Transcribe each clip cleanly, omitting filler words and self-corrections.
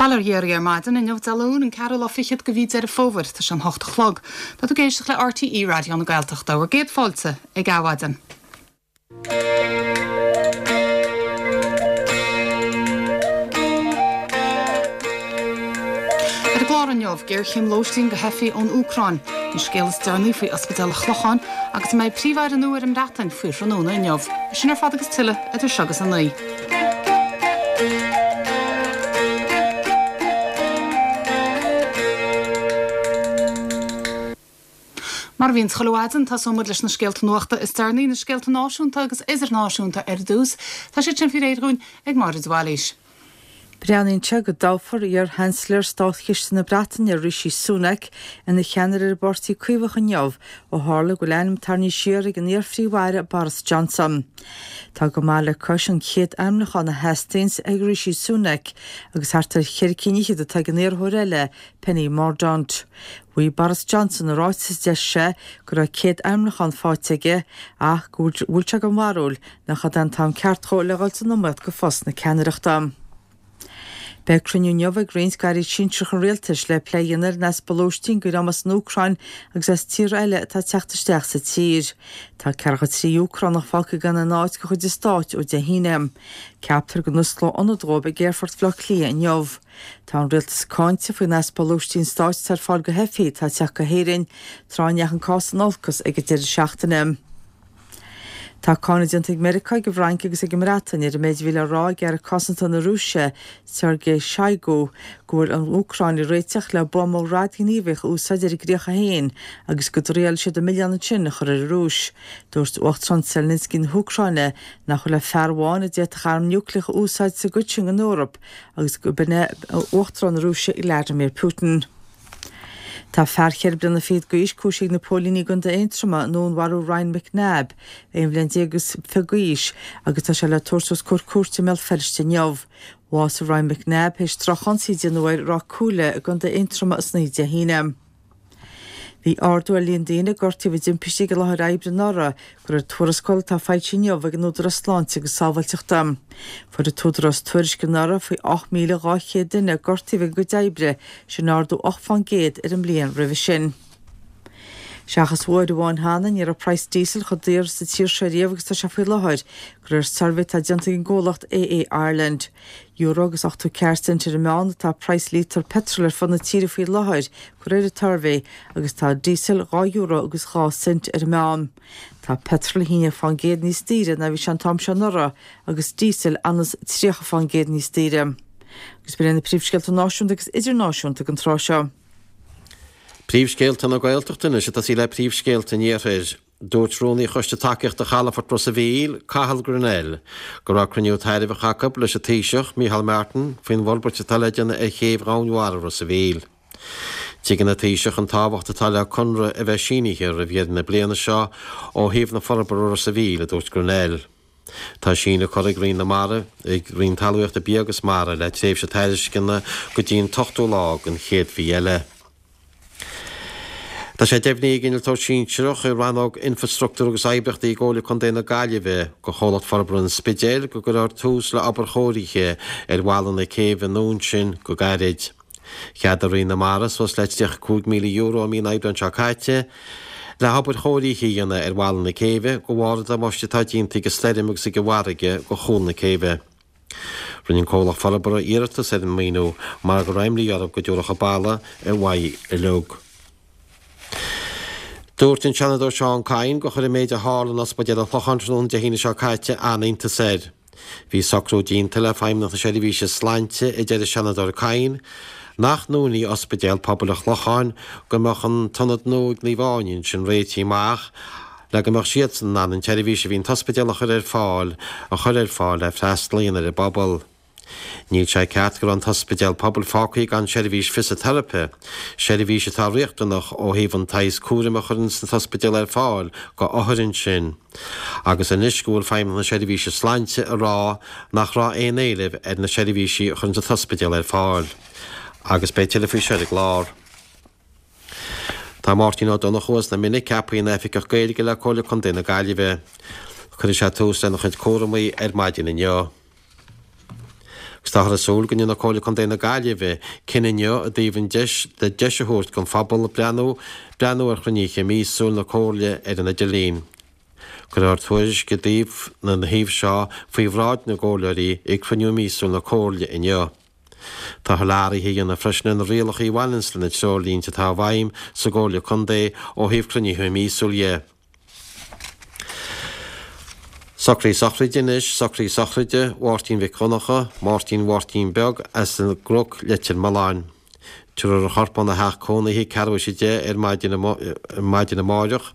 Bail ó Dhia oraibh ar maidin inniu Dé Luain, an ceathrú lá fichead de mhí Deireadh Fómhair. Tá sé an hocht a chlog. Tá tú ag éisteacht le RTÉ Raidió na Gaeltachta. Bhur gcéad fáilte ag Adhmhaidin. Ar an gclár inniu, géarchéim lóistín do theifigh ón Úcráin, an scéal is deireanaí faoi Ospidéal an Chlocháin agus an mbeidh Príomh-Aire nua ar an mBreatain faoi thráthnóna inniu. Sin ar fad agus tuilleadh idir seo agus a 9. Mar a bhíonn chuile mhaidin, tosóidh muid leis na scéalta nuachta is deireanaí, na scéalta náisiúnta agus idirnáisiúnta ar dtús. Tá siad sin faoi réir dhúinn ag Máire de Bhailís. Breathnaíonn sé go dtoghfar iar-Sheansailéir Státchiste na Breataine, Rishi Sunak, ina cheannaire ar an bPáirtí Caomhach inniu, ó tharla go bhfuil a ainm tarraingthe siar ag an iar-Phríomh-Aire Boris Johnson. Tá go maith le cois an chéad ainmniúchán a theastaíonns ag Rishi Sunak agus thart ar cheithre cinn fhichead atá ag an iarrthóir eile, Penny Mordaunt. Mhaígh Boris Johnson i ráiteas a d'eisigh sé go raibh 100 ainmniúchán faighte aige ach go bhfuil sé den bharúil nach é an t-am ceart dhó le dhul san iomaíocht go phost na ceannaireachta. Beidh cruinniú inniu ag roinnt d'airí sinsearacha an rialtais le plé a dhéanamh ar an easpa lóistín do dhream as an Úcráin agus as tíortha eile atá ag teacht isteach sa tír. Tá ceathracha 3 Úcránach fágtha gan aon áit de chuid an stáit ó Dé hAoine. Ceaptar go n-osclóidh ionad dóibh ag Aerfort Bhaile Átha Cliath inniu. Tá an rialtas cáinte faoin easpa lóistín stáit atá ar fáil do theifigh atá ag teacht go hÉirinn, tráth a ndeachaigh an cás in olcas ag an deireadh seachtaine. Tá cáineadh déanta ag Meiriceá, ag an bhFrainc agus ag an mBreatain ar an méid a bhí le rá ag Aire Cosanta na Rúise, Sergei Shoigu, go bhfuil an Úcráin ag réiteach le buama radaighníomhach a úsáid ar a gcríocha féin agus go dtriailfidh siad an milleán ansin a chur ar an Rúis. Dúirt Uachtarán Zelensky na hÚcráine nach bhfuil ach fear amháin a d'fhéadfadh arm núicléach a úsáid sa gcuid sin den Eoraip agus gurb in é Uachtarán na Rúise Vladimir Putin. Tá fear cheithre bliana fichead d'aois cúisithe ag na póilíní i gContae Aontroma i ndúnmharú Ryan McNabb, 21 bhliain is fiche d'aois, agus tá sé le tabhairt os comhair cúirte i mBéal Feirste inniu. Bhásaigh Ryan McNabb théis drochionsaí a déanadh air i Ráth Cuaile i gContae Aontroma san oíche Dé hAoine. Bhí ardú ar líon daoine a gortaíodh i dtimpistí ag an láthair oibre anuraidh, de réir tuarascáil atá foilsithe inniu ag an Údarás Sláinte agus Sábháilteachta. Fuair an tÚdarás tuairisc anuraidh faoi 8,200 duine a gortaíodh ag a gcuid oibre, sin ardú 8 fán gcéad ar an mbliain roimhe sin. Seachas uair amháin cheana, ní raibh praghas díosail chomh daor sa tír seo riamh agus atá sé faoi láthair, de réir suirbhé atá déanta ag an gcomhlacht AA Ireland. Euro agus 84 cent ar an meán atá praghas líotar peitril ar fud na tíre faoi láthair, de réir an tsuirbhé, agus tá díosal €2 euro agus 2 cent ar an meán. Tá peitreal 11 fán gcéad níos daoire ná bhí sé an t-am seo anuraidh agus díosal anuas 30 fán gcéad níos daoire. Agus b'in iad na príomhscéalta náisiúnta agus idirnáisiúnta don tráth seo. Príomhscéalta na Gaeltachta anois ag tosaí le príomhscéalta an Iarthair. Dúirt Rúnaí Choiste Tacaíochta Chalafort Ros a' Mhíl, Cathal Grennell, go raibh cruinniú tairbheach acu leis an Taoiseach, Micheál Martin, faoin bhforbairt atá le déanamh ar chéibh Dhomhainmhara Ros a' Mhíl. Tuigeann an Taoiseach an tábhacht atá le conradh a bheith sínithe roimh dheireadh na bliana seo ó thaobh na forbartha Ros a' Mhíl, a dúirt Grennell. Tá síneadh curtha ag Roinn na Mara, ag Roinn Talmhaíochta, Bia agus Mara le tréimhse tairisceana go dtí an t-ochtú lá den chéad mhí eile. Tá sé deimhnithe ag Innealtóir Sinsearach i Rannóg Infreastruchtúir agus Oibríochtaí i gComhairle Contae na Gaillimhe do Chomhlacht Forbartha an Spidéil go gcuirfear tús le obair chóirithe ar bhalla na céibhe nua ansin go gairid. Cheadaigh Roinn na Mara suas le €35,000 i mí an Aibreáin seo caite le hobair chóirithe a dhéanamh ar bhalla na céibhe de bharr an damáiste atá déanta ag an stoirm agus ag an bhfarraige do chúl na céibhe. Rinne an comhlacht forbartha iarratas ar an maoiniú mar go raibh imní orthu go dtabharfadh an balla ar mhaith uilig. Dúirt an Seanadóir Seán Kyne gur chuir an méid a tharla in Ospidéal an Chlocháin tráthnóna Dé hAoine seo caite an-iontas air. Bhí socrú déanta le Feidhmeannacht na Seirbhíse Sláinte, a deir an Seanadóir Kyne, nach ndúnfaí Ospidéal Pobail an Chlocháin go mbeadh an t-ionad nua ag Naomh Áine ansin réitithe amach le go mbeadh siadsan in ann an tseirbhís a bhí an t-ospidéal a chur ar fáil a chur ar fáil le freastal a dhéanamh ar an bpobal. Níl sé ceart go raibh an t-ospidéal pobail fágtha gan seirbhís fisiteiripe, seirbhís atá riachtanach ó thaobh an tsaghas cúraim a chuireann an t-ospidéal ar fáil go othair ansin. Agus anois go bhfuil Feidhmeannacht na Seirbhíse Sláinte ag rá nach raibh aon éileamh ar na seirbhísí a chuireann an t-ospidéal ar fáil. Agus beidh tuilleadh faoi seo ar an gclár. Tá Máirtín Ó Donnchú as na Minna ceaptha ina Oifigeach Gaeilge le Comhairle Contae na Gaillimhe. Cuirfidh sé tús lena chuid cúramaí ar maidin inniu. Táthar ag súil go ndéanfaidh Comhairle Contae na Gaillimhe cinneadh inniu i dtaobh an deis le deis a thabhairt don phobal breathnú breathnú ar chruinnithe míosúil na Comhairle ar an idirlíon. Cuirfear tuairisc i dtaobh na thaobh seo faoi bhráid na gcomhairleoirí ag cruinniú míosúil na Comhairle inniu. Tá a thuilleadh athraithe a dhéanamh freisin ar na rialacha a bhaineanns le na treoirlínte atá i bhfeidhm sa gComhairle Contae ó thaobh cruinnithe míosúil dhe. Socruithe sochraide anois, socruithe sochraide Mháirtín Mhic Dhonncha, Máirtín Mháirtín Beag as an gCnoc, Leitir Mealláin. Tabharfar a chorp óna theach cónaithe ceathrú théis 10 ar maidin maidin amáireach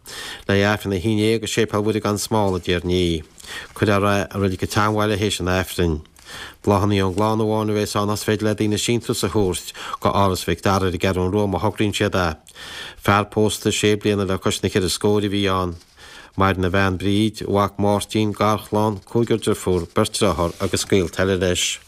le hAifreann 11 i Séipéal Mhuire gan Smál i dTír an Fhia. Cuirfear é i Reilig an tSeanbhaile théis an Aifrinn. Bláthanna ón gclann amháin a bheas ann ach is féidir le daoine síntiús a thabhairt go Áras Mhic Dara ar an gCeathrú Rua má thograíonn siad é. Fear pósta sé bliana le cois na cheithre scóir a bhí ann. Maireann a bhean Bríd, a mhac Máirtín, garchlann, cúigear deirfiúr, beirt dearthár agus gaolta eile leis.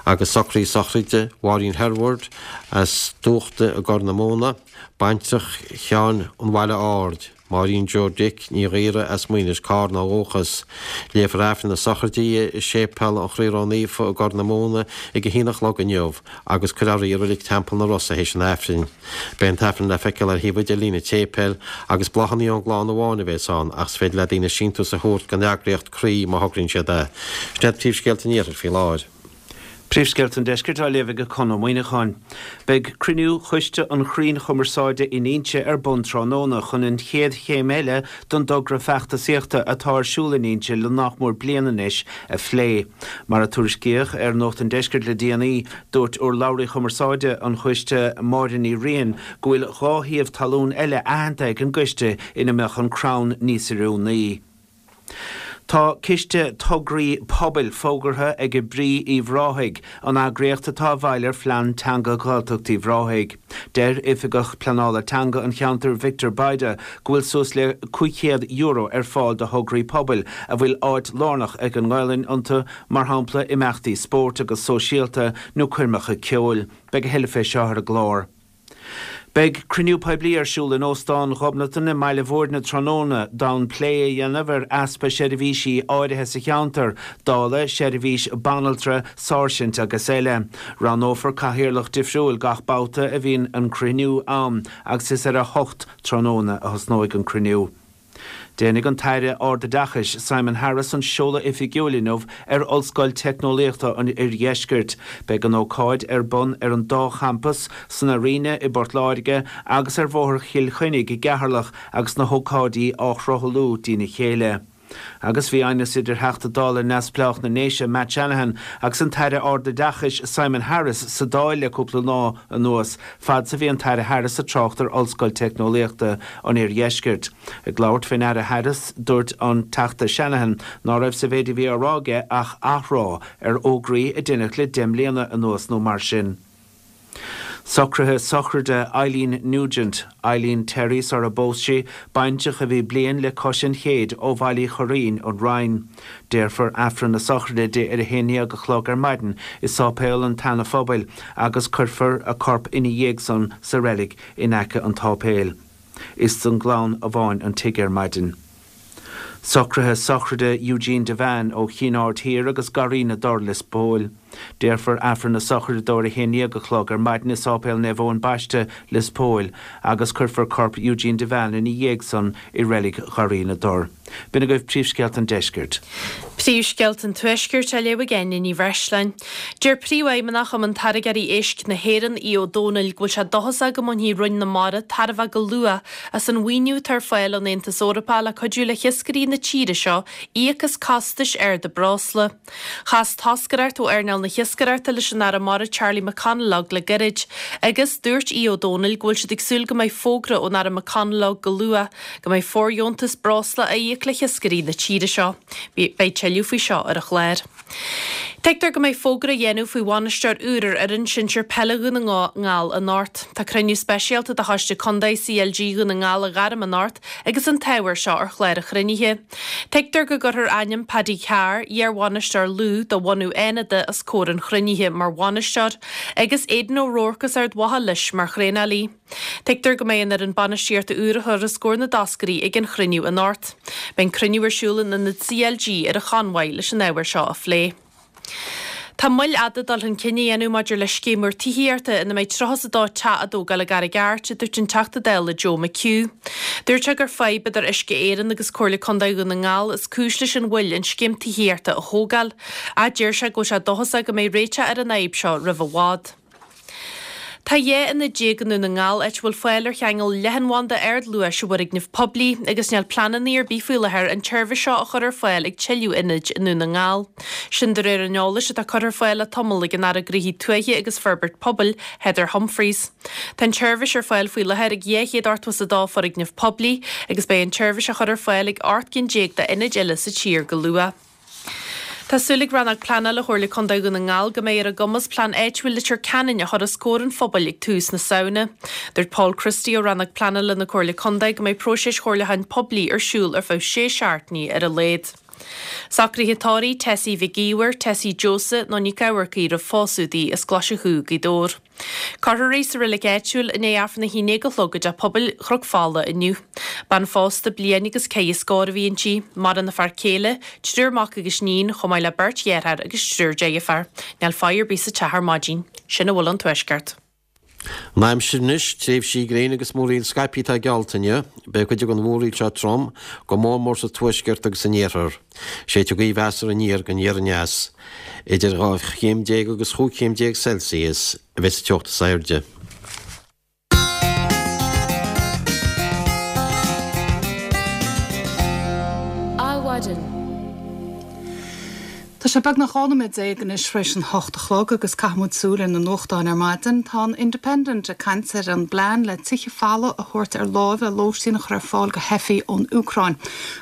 Agus socruithe sochraide Mháirín Herward as Dúchta i gCorr na Móna, baintreach Sheáin an Bhaile Aird, Máirín Joe Dick Ní Ghaora as Maínis, Cárna ó dhúchas. Léifear Aifreann na sochraide di i Séipéal an Chroí Ró-Naofa i gCorr na Móna ag a haon a chlog inniu agus cuirfear í i Reilig Teampall na Rosa théis an Aifrinn. Beidh an tAifreann le feiceáil ar thaobh idirlín an tséipéil agus bláthanna ón gclann amháin a bheas ann ach is féidir le daoine síntiús a thabhairt don eagraíocht Croí má thograíonn siad é. Sin iad príomhscéalta an Iarthair faoi láthair. Príomhscéalta an Deiscirt á léamh ag Conn Ó Muíneacháin. Beidh cruinniú Choiste an Chrainn Chumarsáide in Inse ar bun tráthnóna chun an chéad chéim eile don dtogra feachtasaíochta atá ar siúl in Inse le nach mór bliain anois a phlé. Mar a tuairiscíodh ar Nuacht an Deiscirt le déanaí, dúirt urlabhraí chumarsáide an choiste Máire Ní Riain go bhfuil 2 shuíomh talún eile aitheanta ag an gcoiste ina mbeadh an crann níos oiriúnaí. Tá Ciste Tograí Pobail fógartha ag Brí Uíbh Ráthaigh, an eagraíocht atá i bhfeighil ar Phlean Teanga Ghaeltacht Uíbh Ráthaigh. Deir Oifigeach Pleanála Teanga an cheantair Victor Bayda go bhfuil suas le €500 ar fáil do thograí pobail a bhfuil áit lárnach ag an nGaelainn iontu, mar shampla imeachtaí spóirt agus sóisialta nó coirmeacha ceoil. Beidh a thuilleadh fé seo ar an gclár. Beidh cruinniú poiblí ar siúl in Óstán Ghobnatan i mBaile Bhúirne tráthnóna d'fhonn plé a dhéanamh ar easpa seirbhísí áirithe sa cheantar, dála seirbhís banaltra, sáirsint agus eile. Roghnófar cathaoirleach difriúil gach babhta a bhíonn an cruinniú ann agus is ar a hocht tráthnóna a thosnóidh an cruinniú. Déanfaidh an tAire Ardoideachais Simon Harris an seoladh oifigiúil inniu ar Ollscoil Teicneolaíochta an Oirdheiscirt. Beidh an ócáid ar bun ar an dá champas, san Airéine i bPort Láirge agus ar Bhóthar Chill Chainnigh i gCeatharlach agus na hócáidí á shruthlú dtína chéile. Agus bhí aighneas idir Theachta Dála neamhspleách na nDéise Matt Shanahan agus an tAire Ardoideachais Simon Harris sa Dáil le cúpla lá anuas fad 's a bhí an tAire Harris ag trácht ar Ollscoil Teicneolaíochta an Oirdheiscirt. Ag labhairt fén Aire Harris, dúirt an Teachta Shanahan ná raibh sa mhéid a bhí á rá aige ach athrá ar fhógraí a deineadh le deich mbliana anuas nó mar sin. Socruithe sochraide Eileen Nugent, Eileen Terry sar a bpós sí, baintreach a bhí bliain le cois an chéid ó Bhaile Uí Churraoin, An Rinn. Déarfar Aifreann na sochraide di ar a haon dhéag a chlog ar maidin i Sáipéal an tSeana-Phobail agus cuirfear a corp ina dhiaidh san sa reilig in aice an tsáipéil. Is don gclann amháin an tigh ar maidin. Socruithe sochraide Eugene Devane ó Chinn Aird Thiar agus Garraí na dTor, Lios Póil. Déarfar Aifreann na sochraide dó ar a haon dhéag a chlog ar maidin i Sáipéal Naomh Eoin Baiste, Lios Póil, agus cuirfear corp Eugene Devane ina dhiaidh san i Reilig Gharraí na dTor. B'in agaibh príomhscéalta an deiscirt. Príomhscéalta an Tuaiscirt á léamh ag Áine Ní Bhreisleáin. Deir Príomhfheidhmeannach Chumann Táirgeoirí Éisc na hÉireann, Aodh Ó Domhnaill, go bhfuil sé dóchasach go mbainfidh Roinn na Mara tairbhe go luath as an mhaoiniú atá ar fáil ón Aontas Eorpach le cuidiú le hiascairí na tíre seo íoc as costais arda breosla. Chas toscaireacht ó earnáil na hiascaireachta leis an Aire Mara Charlie McConalogue le gairid agus dúirt Aodh Ó Domhnaill go bhfuil siad ag súil go mbeidh fógra ón Aire McConalogue go luath go mbeidh fóirdheontas breosla á íoc le hiascairí na tíre seo. Beidh tuilleadh faoi seo ar an chlár. Tuigtear go mbeidh fógra á dhéanamh faoi bhainisteoir úr ar fhoireann sinsir peile Dhún na nGall anocht. Tá cruinniú speisialta de Choiste Contae CLG Dhún na nGall á ghairm anocht agus an t-ábhar seo ar chlár an chruinnithe. Tuigtear go gcuirfear ainm Paddy Carr, iar-bhainisteoir Lú de bhunadh Fhánada os comhair an chruinnithe mar bhainisteoir agus Aidan O'Rourke as Ard Mhacha leis mar thraenálaí. Tuigtear go mbeidh an fhoireann bainistíochta úr a chur os comhair na dtoscairí ag an chruinniú anocht. Beidh an cruinniú ar siúl in ionad CLG ar an Chonmhaigh leis an ábhar seo a phlé. Tá moill fhada dul chun cinn a dhéanamh maidir le scéim úr tithíochta ina mbeidh 32 teach á dtógáil i gCarraig Airt, a dúirt an Teachta Dála Joe McHugh. Dúirt sé gur fadhb idir Uisce Éireann agus Comhairle Contae Dhún na nGall is cúis leis an mhoill an scéim tithíochta a thógáil. Ach deir sé go bhfuil sé dóchasach go mbeidh réiteach ar an fhadhb seo roimh i bhfad. Tá 12 ionad i nDún na nGall áit a bhfuil fáil ar cheangal leathanbhanda ardluais i bhfoirgnimh poiblí agus níl pleananna ar bith faoi láthair an tseirbhís seo a chur ar fáil ag tuilleadh ionaid i nDún na nGall. Sin de réir an eolais atá curtha ar fáil le tamall ag an Aire Gnóthaí Tuaithe agus Forbairt Pobail, Heather Humphreys. Tá an tseirbhís ar fáil faoi láthair ag 282 foirgneamh poiblí agus beidh an tseirbhís á chur ar fáil ag 18 gcinn d'ionaid eile sa tír go luath. Tá súil ag Rannóg Pleanála Chomhairle Contae Dhún na nGall go mbeidh ar a gcumas Plean Áitiúil Leitir Ceanainn a chur os comhair an phobail ag tús na Samhna. Dúirt Paul Christie ó Rannóg Pleanála na Comhairle Contae go mbeidh próiseas chomhairliúcháin poiblí ar siúl ar feadh sé seachtainí ar a laghad. Socruithe tórraimh Tessie Mhic Íomhair, Tessie Josa nó Nic Eamharcaigh roimh phósadh di as Glaise Chú, Gaoth Dobhair. Cuirfear í sa reilig áitiúil i ndiaidh Aifreann a haon déag a chlog i dTeach Pobail Chnoc Fola inniu. Bean phósta bliain agus ceithre scór a bhí inti. Maireann a fear céile, triúr mac agus níon, chomh maith le beirt dheartháir agus triúr deirféar. Níl faire ar bith sa teach ar maidin. Sin a bhfuil ón Tuaisceart. An aimsir anois, tréimhsí gréine agus múraíl scaipthe atá geallta inniu. Beidh cuid den mhúraíl seo trom, go mór mór sa tuaisceart agus san iarthar. Séidfidh gaoth mheasartha aniar go aniar aneas. Idir 12 chéim agus chúig chéim déag Celsius a bheidh sa teocht is airde. Adhmhaidin. Tá sé beagnach 12 nóiméad anois tar éis an hocht a chlog agus caithfidh muid súil ar na nuachtáin ar maidin. Tá an Independent ag caint ar an bplean le tithe folamh a thabhairt ar láimh le lóistín a chur ar fáil do theifigh ón Úcráin.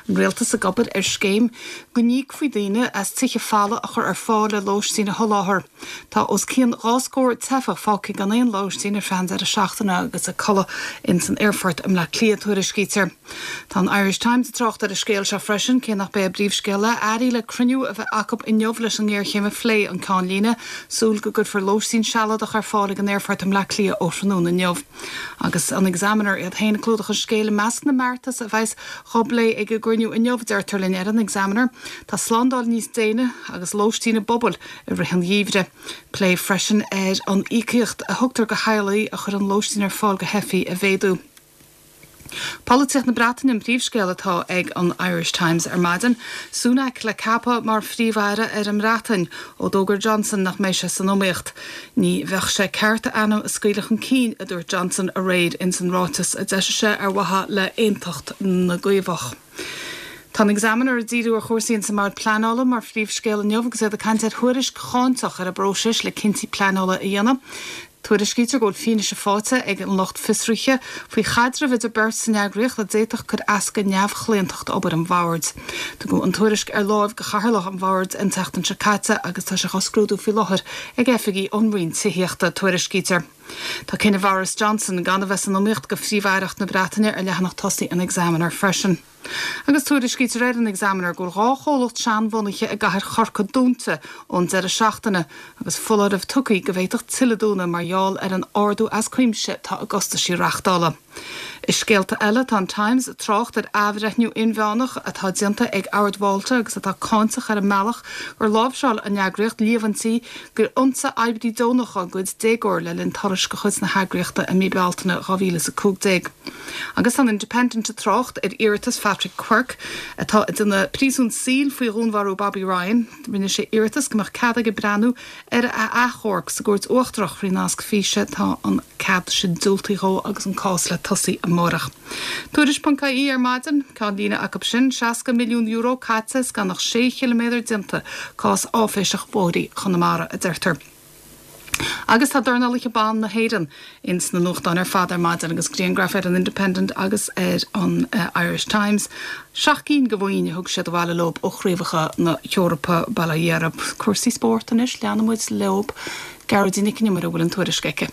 An rialtas ag obair ar scéim go n-íocfaí daoine as tithe folamh a chur ar fáil le lóistín a sholáthar. Tá os cionn dhá scór teifeach fágtha gan aon lóistín ar feadh an deireadh seachtaine agus ag codladh ins an aerfort i mBleá Cliath, tuairiscítear. Tá an Irish Times ag trácht ar an scéal seo freisin, cé nach b'é a bpríomhscéal é, airí le cruinniú a bheith acu inniu leis an ngéarchéim a phlé, an ceannlíne, súil go gcuirfear lóistín sealadach ar fáil ag an aerfort i mBleá Cliath ó thráthnóna inniu. Agus an Examiner iad féin ag clúdach an scéil i measc na mbeartas a bheas dhá bplé ag an gcruinniú inniu, deirtear linn ar an Examiner, tá slándáil níos déine agus lóistín i bpubaill i rith an gheimhridh. Plé freisin ar an íocaíocht a thugtar do theaghlaigh a chuireann lóistín ar fáil do theifigh a mhéadú. Polaitíocht na Breataine an príomhscéal atá ag an Irish Times ar maidin. Sunak le ceapadh mar Phríomh-Aire ar an mBreatain ó d'fhógair Johnson nach mbeidh sé san iomaíocht. Ní bheadh sé ceart a ainm a scaoileadh chun cinn, a dúirt Johnson aréir ins an ráiteas a d'eisigh sé ar mhaithe le haontacht na gCaomhach. Tá an Examiner ag díriú ar chúrsaí ins an mBord Pleanála mar phríomhscéal inniu agus iad ag caint ar thuairisc cháinteach ar an bpróiseas le cinntí pleanála a dhéanamh. Tuairiscítear go bhfuil fianaise faighte ag an lucht fiosraithe faoi chaidreamh idir beirt san eagraíocht a d'fhéadfadh cur as go neamhchlaontacht obair an bhoird. Tugadh an tuairisc ar láimh do chathaoirleach an bhoird an tseachtain seo caite agus tá sé á scrúdú faoi láthair ag oifigigh ón Roinn Tithíochta, tuairiscítear. Tá cinneadh Bhoris Johnson gan a bheith san iomaíocht do Phríomh-Aireacht na Breataine ar leathanach tosaigh an Examiner freisin. Agus tuairiscítear ar an Examiner go bhfuil 2 chomhlacht seanbhunaithe i gcathair Chorcaí dúnta ón deireadh seachtaine agus foláireamh tugtha go bhféadfadh tuilleadh dúnadh mar gheall ar an ardú as cuimse atá i gcostaisí reachtála. I scéalta eile, tá an Times ag trácht ar athbhreithniú inmheánach atá déanta ag Ord Mhálta agus atá cáinteach ar an mbealach gur láimhseáil an eagraíocht líomhaintí gur ionsaigh oibrí deonach a gcuid déagóir le linn turais de chuid na heagraíochta i mí Bealtaine 2015. Agus tá an Independent ag trácht ar iarratas Phatrick Quirke, atá ag déanamh príosún saoil faoi dhúnmharú Bobby Ryan. Rinne sé iarratas go mbeadh cead aige breathnú ar a achomharc sa gCúirt Uachtarach thrí nasc físe. Tá an cead sin diúltaithe dhó agus an cás le tosaí amárach. Tuairisc.ie ar maidin, ceannlíne acu sin, €60 milliún caite is gan ach sé chiliméadar déanta, cás áiféiseach bóithrí Chonamara, a deirtear. Agus tá dornálaithe ban na hÉireann ins na nuachtáin ar fad ar maidin agus griangraif ar an Independent agus ar an Irish Times. Seacht gcinn de bhoinn a thug siad abhaile leob ó chraobhacha na hEorpa, bail ó Dhia orthu. Cúrsaí spóirt anois, leanfaidh muid leob. Gearóidín Nic an Iomaire a bhfuil an tuairisc aici.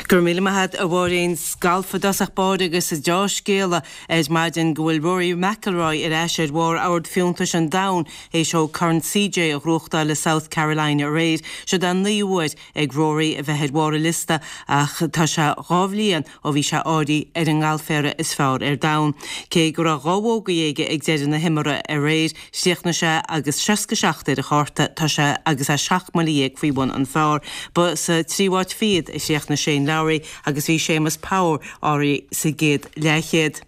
Go raibh míle maith agat a Mháirín. Galf i dtosach báire agus deá-scéala ar maidin go bhfuil Rory McIlroy ar ais ar bharr ord fiúntais an domhain théis dó Corn CJ a ghnóthachtáil i South Carolina aréir. Siod é an naoú huair ag Rory a bheith ar bharr an liosta ach tá sé 2 bhliain ó bhí sé áirithe ar an ngalféara is fearr ar domhan. Cé go raibh 2 bhógaí aige ag deireadh na himeartha aréir, chríochnaigh sé agus 67 ar a chárta, tá sé agus é 17 mbuille faoi bhun an phar. Ba sa tríú háit fichead a chríochnaigh Shane Lowry agus bhí Séamus Power áirithe sa gcéad leathchéad.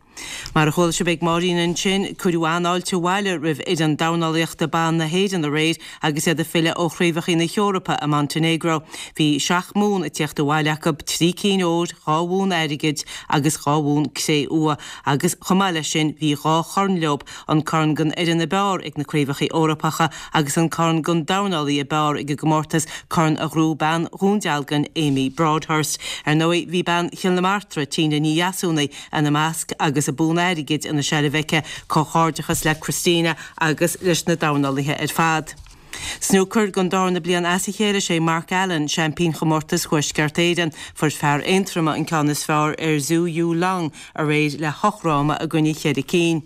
Mar a chuala sibh ag Máirín ansin, cuireadh an-fháilte abhaile roimh fhoireann dornálaíochta ban na hÉireann aréir agus iad ag filleadh ó Chraobhacha na hEorpa i Montenegro. Bhí seacht mbonn ag tíocht abhaile acu, 3 cinn óir, 2 bhonn airgid agus 2 bhonn cré-umha agus chomh maith leis sin bhí dhá chorn leo, an corn don fhoireann ab fhearr ag na Craobhacha Eorpacha agus an corn don dornálaí ab fhearr ag an gcomórtas, corn a ghnóthaigh bean Dhún Dealgan, Amy Broadhurst. Ar ndóigh bhí bean Chill na Martra, Tina Ní Dheasúnaigh, ina measc agus an bonn airgid ina seilbh aici. Comhghairdeachas le Christina agus leis na dornálaithe ar fad. Snúcar, Don darna bliain as a chéile sé Mark Allen seaimpín chomórtas Thuaisceart Éireann. Fuair fear Aontroma an ceann is fearr ar Zhu Yu Long aréir le hocht fhráma i gcoinne cheithre cinn.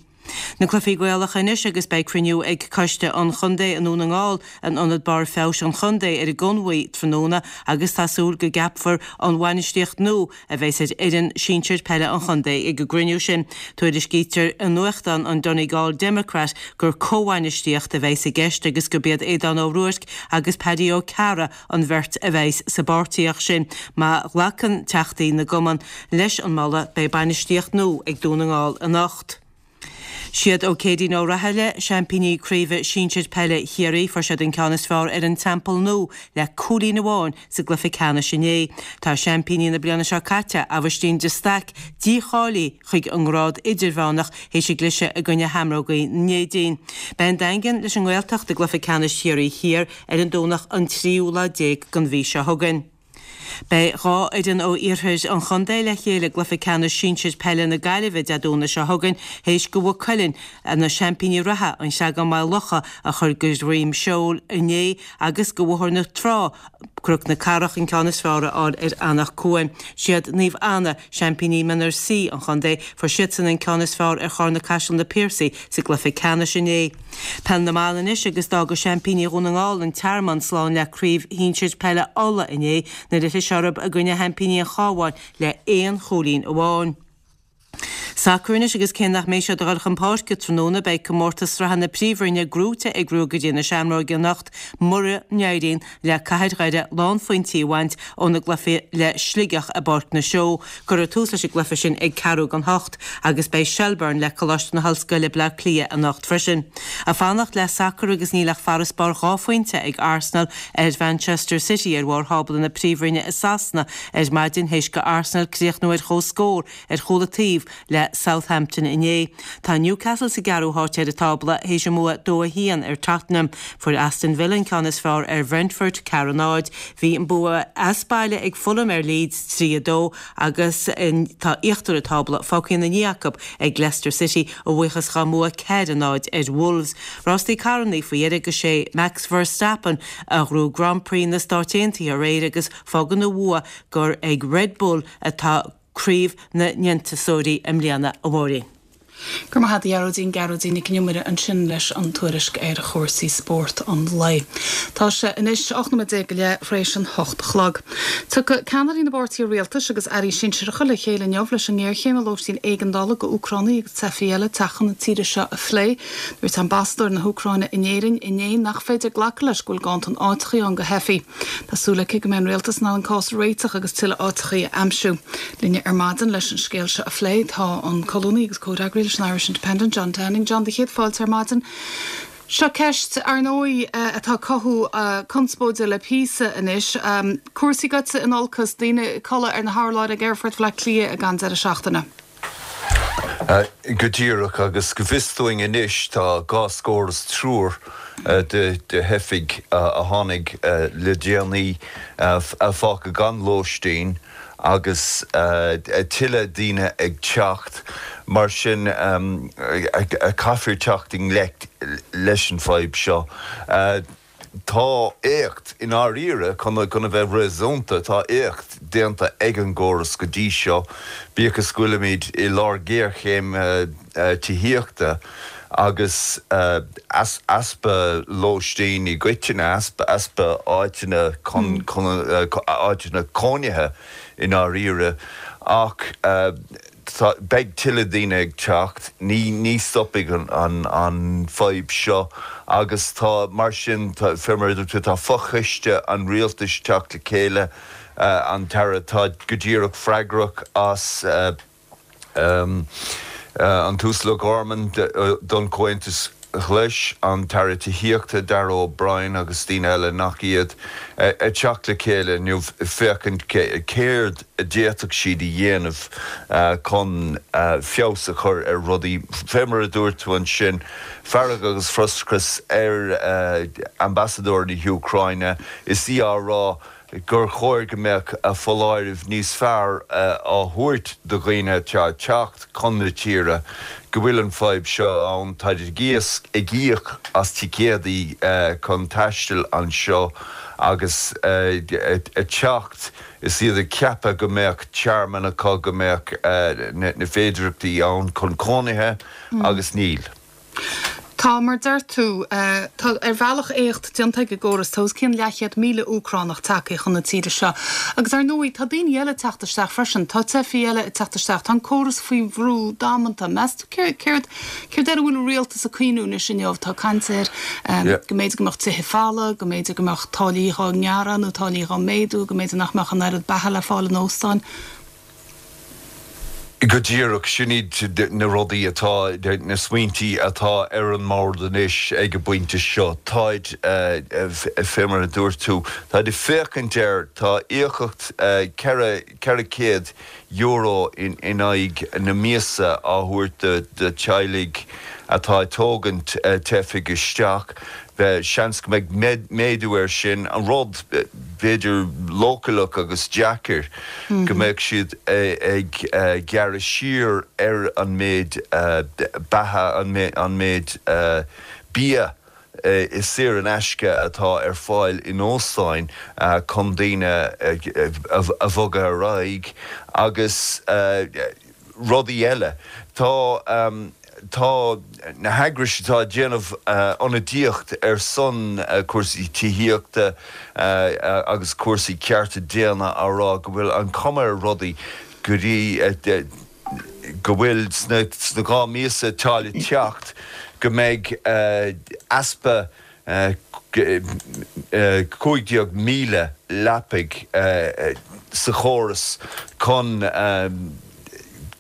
Na cluichí Gaelacha anois agus beidh cruinniú ag Coiste an Chontae i nDún na nGall in Ionad Barr Feabhais an Chontae ar an gConmhaigh tráthnóna agus tá súil go gceapfar an bhainistíocht nua a bheas ar fhoireann sinsir peile an chontae ag an gcruinniú sin. Tuairiscítear i nuachtán an Donegal Democrat gur comhbhainistíocht a bheas i gceist agus gurb iad Aodán Ó Ruairc agus Paddy Ó Cearra an bheirt a bheas sa bpáirtíocht sin. Má ghlacann teachtaí na gcumann leis an moladh beidh bainistíocht nua ag Dún na nGall anocht. Siad Ó Céidín Ó Rathaille, seaimpíní Craoibhe Sinsir Peile Chiarraí, fuair siad an ceann is fearr ar an Teampall Nua le cúilín amháin sa gcluiche ceannais inné. Tá seaimpíní na bliana seo caite, Aibhistín de Staic, dícháilithe chuig an ngrád idirmheánach théis a gcliseadh i gcoinne Sheamrógaí na Neidín. Beidh an Daingean leis an nGaeltacht i gcluiche ceannais Chiarraí Thiar ar an Domhnach an tríú lá déag den mhí seo chugainn. Beidh 2 fhoireann ó iarthar an chontae le chéile i gcluiche ceannais sinsir peile na Gaillimhe Dé Domhnaigh seo chugainn théis do Mhaigh Cuilinn, na seaimpíní reatha, an Creagán-Maigh Locha a chur de dhroim seoil inné agus do Bhóthar na Trá, Cnoc na Cathrach an ceann is fearr a fháil ar Anach Cuain. Siad Naomh Anna, seaimpíní Mionúr C an chontae, fuair siadsan an ceann is fearr ar Charna-Caiseal Na Piarsaigh sa gcluiche ceannais inné. Peil na mBan anois agus d'fhága seaimpíní Dhún na nGall, An Tearmann, slán le Craobh Shinsir Peile Uladh inné nuair a chlis orthu i gcoinne sheaimpíní an Chabháin le aon chúilín amháin. Sacar anois agus cé nach mbeidh siad ag dul chun páirce tráthnóna beidh comórtas sraithe na Príomhroinne gnóite ag Ruagairí na Seamróige anocht mura n-éiríonn le Cathair Dhoire lánphointí a bhaint óna gcluiche le Sligeach i bPáirc na Seó. Cuirfear tús leis an gcluiche sin ag ceathrú don hocht agus beidh Shelbourne le Coláiste na hOllscoile, Bleá Cliath anocht freisin. Ag fanacht le sacar agus níl ach farasbarr 2 phointe ag Arsenal ar Mhanchester City ar bharr thábla na Príomhroinne i Sasana ar maidin théis do Arsenal críochnú ar comhscór ar chúl an taobh le Southampton inné. Tá Newcastle sa gceathrú háit ar an tábla théis a mbua 2-1 ar Tottenham. Fuair Aston Villa an ceann is fearr ar Bhrentford, 4-0. Bhí an bua as baile ag Fulham ar Leeds, 3-2, agus tá íochtar an tábla fágtha ina ndiaidh acu ag Leicester City a bhuíochas dhá mbua 4-0 ar Wolves. Rástaí carrannaí faoi dheireadh agus sé Max Verstappen a ghnóthaigh Grand Prix na Stáit Aontaithe aréir agus fágann a bhua gur ag Red Bull atá Craobh na nDéantúsóirí i mbliana, a Mháirín. Go raibh maith agat a Ghearóidín, Gearóidín Nic an Iomaire ansin leis an tuairisc ar chúrsaí spóirt an lae. Tá sé anois 18 nóiméad go leith th'réis an hocht a chlog. Tiocfaidh ceannairí na bpáirtithe rialtais agus airí sinsearacha le chéile inniu leis an ngéarchéim i lóistín éigeandála do Úcránaigh agus teifigh eile ag teacht chun na tíre seo a phlé. Dúirt ambasadóir na hÚcráine in Éirinn inné nach féidir glacadh leis go bhfuil ganntan áiteachaí ann do theifigh. Tá súil aici go mbeidh an rialtas in ann an cás a réiteach agus tuilleadh áiteachaí a aimsiú. Linne ar maidin leis an scéal seo a phlé tá an colúnaí agus comhfhreagraí leis an Irish Independent, John Downing. John, do chéad fáilte ar maidin. Seo ceist, ar ndóigh, atá ag cothú conspóide le píosa anois. Cúrsaí goite in olcas, daoine ag codladh ar na hurláir ag Aerfort Bhaile Átha Cliath ag an deireadh seachtaine. Go díreach, agus go bhfios dúinn anois tá dhá scór is triúr de theifigh a tháinig le déanaí fágtha gan lóistín agus tuilleadh daoine ag teacht. Mar sin caithfear teacht i ngleic leis an bhfadhb seo. Tá éacht, i ndáiríre, chun a bheith réasúnta, tá éacht. déanta ag an gcóras go dtí seo, bíodh is go bhfuilimid i lár géarchéim tithíochta agus easpa lóistín i gcoitinne, easpa áiteanna chun, áiteanna cónaithe i ndáiríre. Ach beidh tuilleadh daoine ag teacht, ní stopfaidh an fadhb seo agus tá, mar sin, fé mar a dúirt tú, tá fochoiste an rialtais ag teacht le chéile, an tAire atá go díreach freagrach as, an tUasal O'Gorman don Chomhaontas Ghlais, an tAire Tithíochta Darragh O'Brien agus daoine eile nach iad, ag teacht le chéile inniu féachaint céard a d'fhéadfadh siad a dhéanamh chun feabhas a chur ar rudaí. Fé mar a dúirt tú ansin, fearg agus frustrachas ar ambasadóir na hÚcráine is í á rá gur chóir go mbeadh foláireamh níos fearr á thabhairt do dhaoine atá ag teacht chun na tíre go bhfuil an fadhb seo ann. Táid ag ag íoc as ticéadaí chun taisteal anseo agus ag teacht is iad ag ceapadh go mbeadh tearmann acu, go mbeadh na féidireachtaí ann chun cónaithe agus níl. Tá, mar deir tú, tá ar bhealach éacht déanta ag an gcóras. Tá os cionn leathchéad 1,000 Úcránach tagtha chun na tíre seo. Agus ar ndóigh, tá daoine eile ag teacht isteach freisin. Tá teifigh eile ag teacht isteach. Tá an córas faoi bhrú damanta. Meas tú céard, céard air a bhfuil an rialtas ag cuimhniú anois inniu? Tá caint air go mb'fhéidir go mbeadh tithe folamh, go mb'fhéidir go mbeadh táillí dhá ngearradh nó táillí dhá méadú, go mb'fhéidir nach mbeadh an oiread beatha le fáil in óstáin. Go díreach, sin iad na rudaí atá, na smaointí atá ar an mbord anois ag an bpointe seo. Táid, fé mar a dúirt tú, táid ag féachaint air, tá íocaíocht €400 in aghaidh na míosa á thabhairt do teaghlaigh atá ag tógaint teifigh isteach. Seans go mbeidh méadú air sin, an rud, b'fhéidir, leochaileach agus deacair, go mbeadh siad ag gearradh siar ar an méid beatha, an méid bia saor in aisce atá ar fáil in óstáin chun daoine a bhogadh ar aghaidh agus. rudaí eile. Tá tá na heagrais atá ag déanamh ionadaíocht ar son cúrsaí tithíochta agus cúrsaí cearta daonna á rá go bhfuil an chuma ar rudaí go dtí go bhfuil sna sna 2 míosa atá le teacht go mbeidh easpa 15,000 leapaidh sa chóras chun